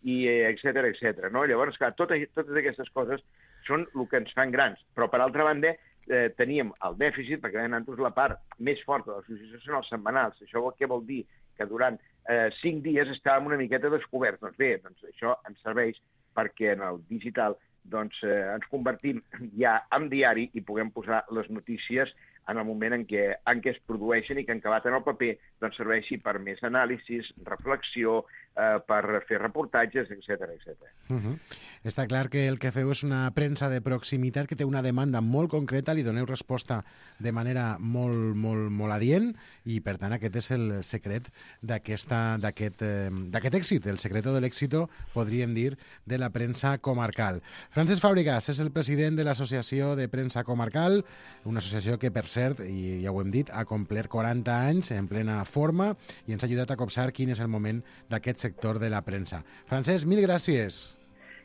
i etcètera, etcètera. No? Llavors, clar, totes, totes aquestes coses són el que ens fan grans. Però, per altra banda, eh, teníem el dèficit, perquè nosaltres la part més forta de l'associació són els setmanals. Això què vol dir? Que durant eh, cinc dies estàvem una miqueta descoberts. Doncs bé, doncs això ens serveix perquè en el digital doncs eh, ens convertim ja en diari i puguem posar les notícies en el moment en què, en què es produeixen i que en acabat en el paper doncs, serveixi per més anàlisis, reflexió, eh, per fer reportatges, etcètera, etcètera. Uh-huh. Està clar que el que feu és una premsa de proximitat que té una demanda molt concreta, li doneu resposta de manera molt, molt, molt adient i, per tant, aquest és el secret d'aquest eh, èxit, el secreto de l'éxito, podríem dir, de la premsa comarcal. Francesc Fàbregas és el president de l'Associació de Premsa Comarcal, una associació que, per cert, i ja ho hem dit, ha complert quaranta anys en plena forma i ens ha ajudat a copsar quin és el moment d'aquest sector de la premsa. Francesc, mil gràcies.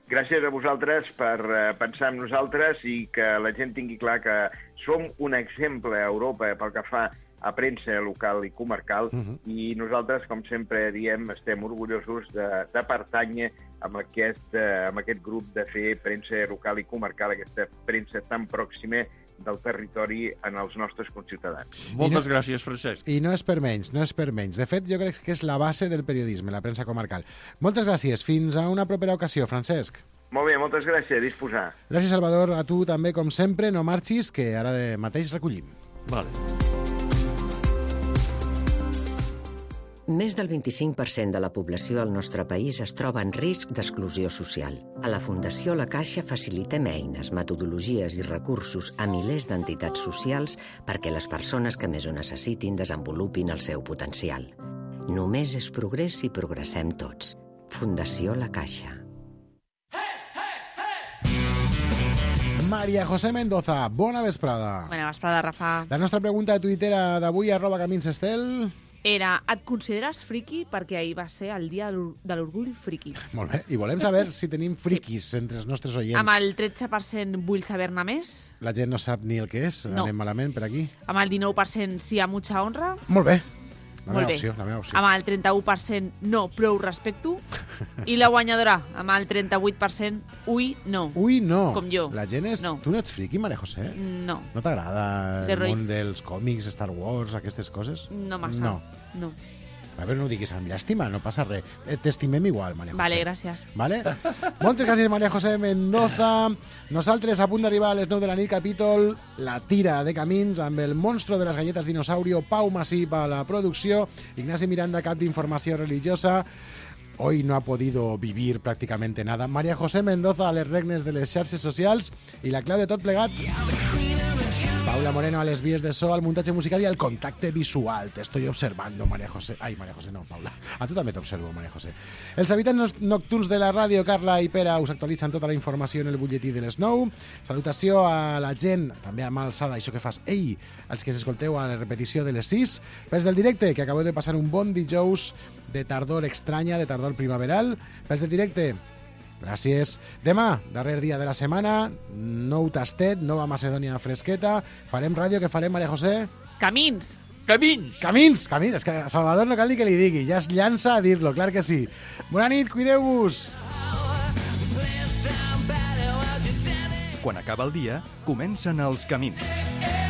Gràcies a vosaltres per uh, pensar en nosaltres i que la gent tingui clar que som un exemple a Europa pel que fa a premsa local i comarcal, uh-huh. i nosaltres, com sempre diem, estem orgullosos de, de pertànyer amb aquest, uh, amb aquest grup de fer premsa local i comarcal, aquesta premsa tan pròxima del territori en els nostres conciutadans. Moltes no, gràcies, Francesc. I no és per menys, no és per menys. De fet, jo crec que és la base del periodisme, la premsa comarcal. Moltes gràcies. Fins a una propera ocasió, Francesc. Molt bé, moltes gràcies. A disposar. Gràcies, Salvador. A tu també, com sempre. No marxis, que ara de mateix recollim. Vale. Més del vint-i-cinc per cent de la població al nostre país es troba en risc d'exclusió social. A la Fundació La Caixa facilitem eines, metodologies i recursos a milers d'entitats socials perquè les persones que més ho necessitin desenvolupin el seu potencial. Només és progrés si progressem tots. Fundació La Caixa. Maria José Mendoza, bona vesprada. Bona vesprada, Rafa. La nostra pregunta de Twitter d'avui, arroba Camins Estel... Era, et consideres friki perquè ahir va ser el dia de l'orgull friki. Molt bé, i volem saber si tenim friquis sí. entre els nostres oients. Amb el tretze per cent vull saber-ne més. La gent no sap ni el que és, no. Anem malament per aquí. Amb el dinou per cent sí a mucha honra. Molt bé, la Molt meva bé. opció, la meva opció. Amb el trenta-u per cent no, prou respecto. I la guanyadora, amb el trenta-vuit per cent ui, no. Ui, no. Com jo. La gent és... No. Tu no ets friki, Maria José? No. No t'agrada De el roi. món dels còmics, Star Wars, aquestes coses? No massa. No. No. A veure, no ho diguis amb llàstima, no passa res. T'estimem igual, Maria José. Vale, gràcies. Vale? Moltes gràcies, Maria José Mendoza. Nosaltres, a punt d'arribar a les nou de la nit, capítol La tira de camins, amb el monstro de les galletes dinosaurio, Pau Masip a la producció, Ignasi Miranda, cap d'informació religiosa. Hoy no ha podido vivir prácticamente nada. María José Mendoza a les regnes de les xarxes socials i la clau de tot plegat. Paula Moreno a les vies de so, al muntatge musical i al contacte visual. Te estoy observando, María José. Ai, María José, no, Paula. A tu també t'observo, María José. Els habitants nocturns de la ràdio, Carla i Pere, us actualitzen tota la informació en el butlletí de les nou. Salutació a la gent, també amb alçada, això que fas, ei, els que s'escolteu a la repetició de les sis. Pels del directe, que acabeu de passar un bon dijous de tardor estranya, de tardor primaveral. Pels del directe, gràcies. Demà, darrer dia de la setmana, nou tastet, nova Macedònia fresqueta. Farem ràdio, que farem, Maria José? Camins! Camins! Camins! Camins! És que a Salvador no cal ni que li digui, ja es llança a dir-lo, clar que sí. Bona nit, cuideu-vos! Quan acaba el dia, comencen els camins.